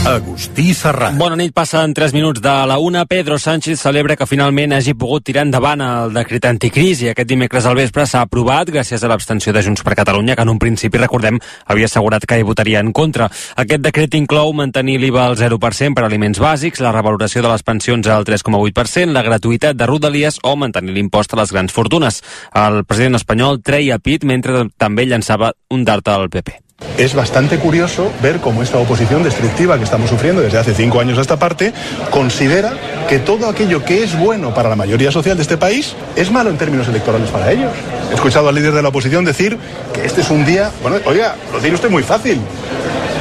Agustí Serrat. Bona nit, passen 3 minuts de la 1. Pedro Sánchez celebra que finalment hagi pogut tirar endavant el decret anticrisi. Aquest dimecres al vespre s'ha aprovat gràcies a l'abstenció de Junts per Catalunya, que en un principi, recordem, havia assegurat que hi votaria en contra. Aquest decret inclou mantenir l'IVA al 0% per aliments bàsics, la revaloració de les pensions al 3,8%, la gratuïtat de rodalies o mantenir l'impost a les grans fortunes. El president espanyol treia pit mentre també llançava un dart al PP. Es bastante curioso ver cómo esta oposición destructiva que estamos sufriendo desde hace 5 años a esta parte considera que todo aquello que es bueno para la mayoría social de este país es malo en términos electorales para ellos. He escuchado al líder de la oposición decir que este es un día... Bueno, oiga, lo tiene usted muy fácil.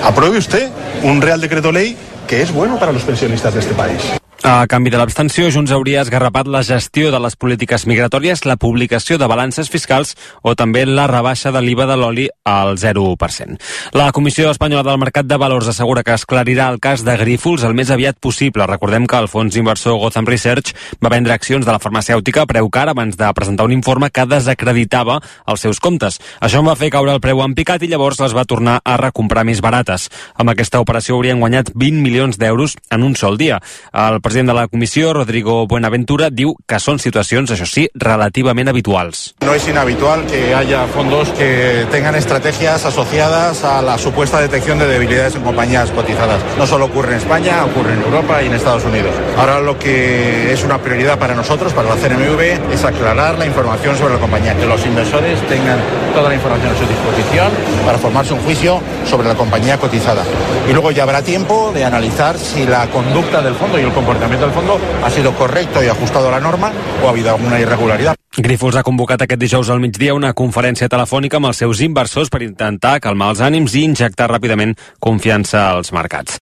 Apruebe usted un Real Decreto Ley que es bueno para los pensionistas de este país. A canvi de l'abstenció, Junts hauria esgarrapat la gestió de les polítiques migratòries, la publicació de balances fiscals o també la rebaixa de l'IVA de l'oli al 0%. La Comissió Espanyola del Mercat de Valors assegura que esclarirà el cas de Grífols el més aviat possible. Recordem que el fons inversor Gotham Research va vendre accions de la farmacèutica a preu car abans de presentar un informe que desacreditava els seus comptes. Això en va fer caure el preu en picat i llavors les va tornar a recomprar més barates. Amb aquesta operació haurien guanyat 20 milions d'euros en un sol dia. El president de la comissió, Rodrigo Buenaventura, diu que son situacions, això sí, relativamente habituals. No es inhabitual que haya fondos que tengan estrategias asociadas a la supuesta detección de debilidades en compañías cotizadas. No solo ocurre en España, ocurre en Europa y en Estados Unidos. Ahora lo que es una prioridad para nosotros, para la CNMV, es aclarar la información sobre la compañía, que los inversores tengan toda la información a su disposición para formarse un juicio sobre la compañía cotizada. Y luego ya habrá tiempo de analizar si la conducta del fondo y el comportamiento del fondo ha sido correcto y ajustado a la norma o ha habido alguna irregularidad. Grífols ha convocat aquest dijous al migdia una conferència telefònica amb els seus inversors per intentar calmar els ànims i injectar ràpidament confiança als mercats.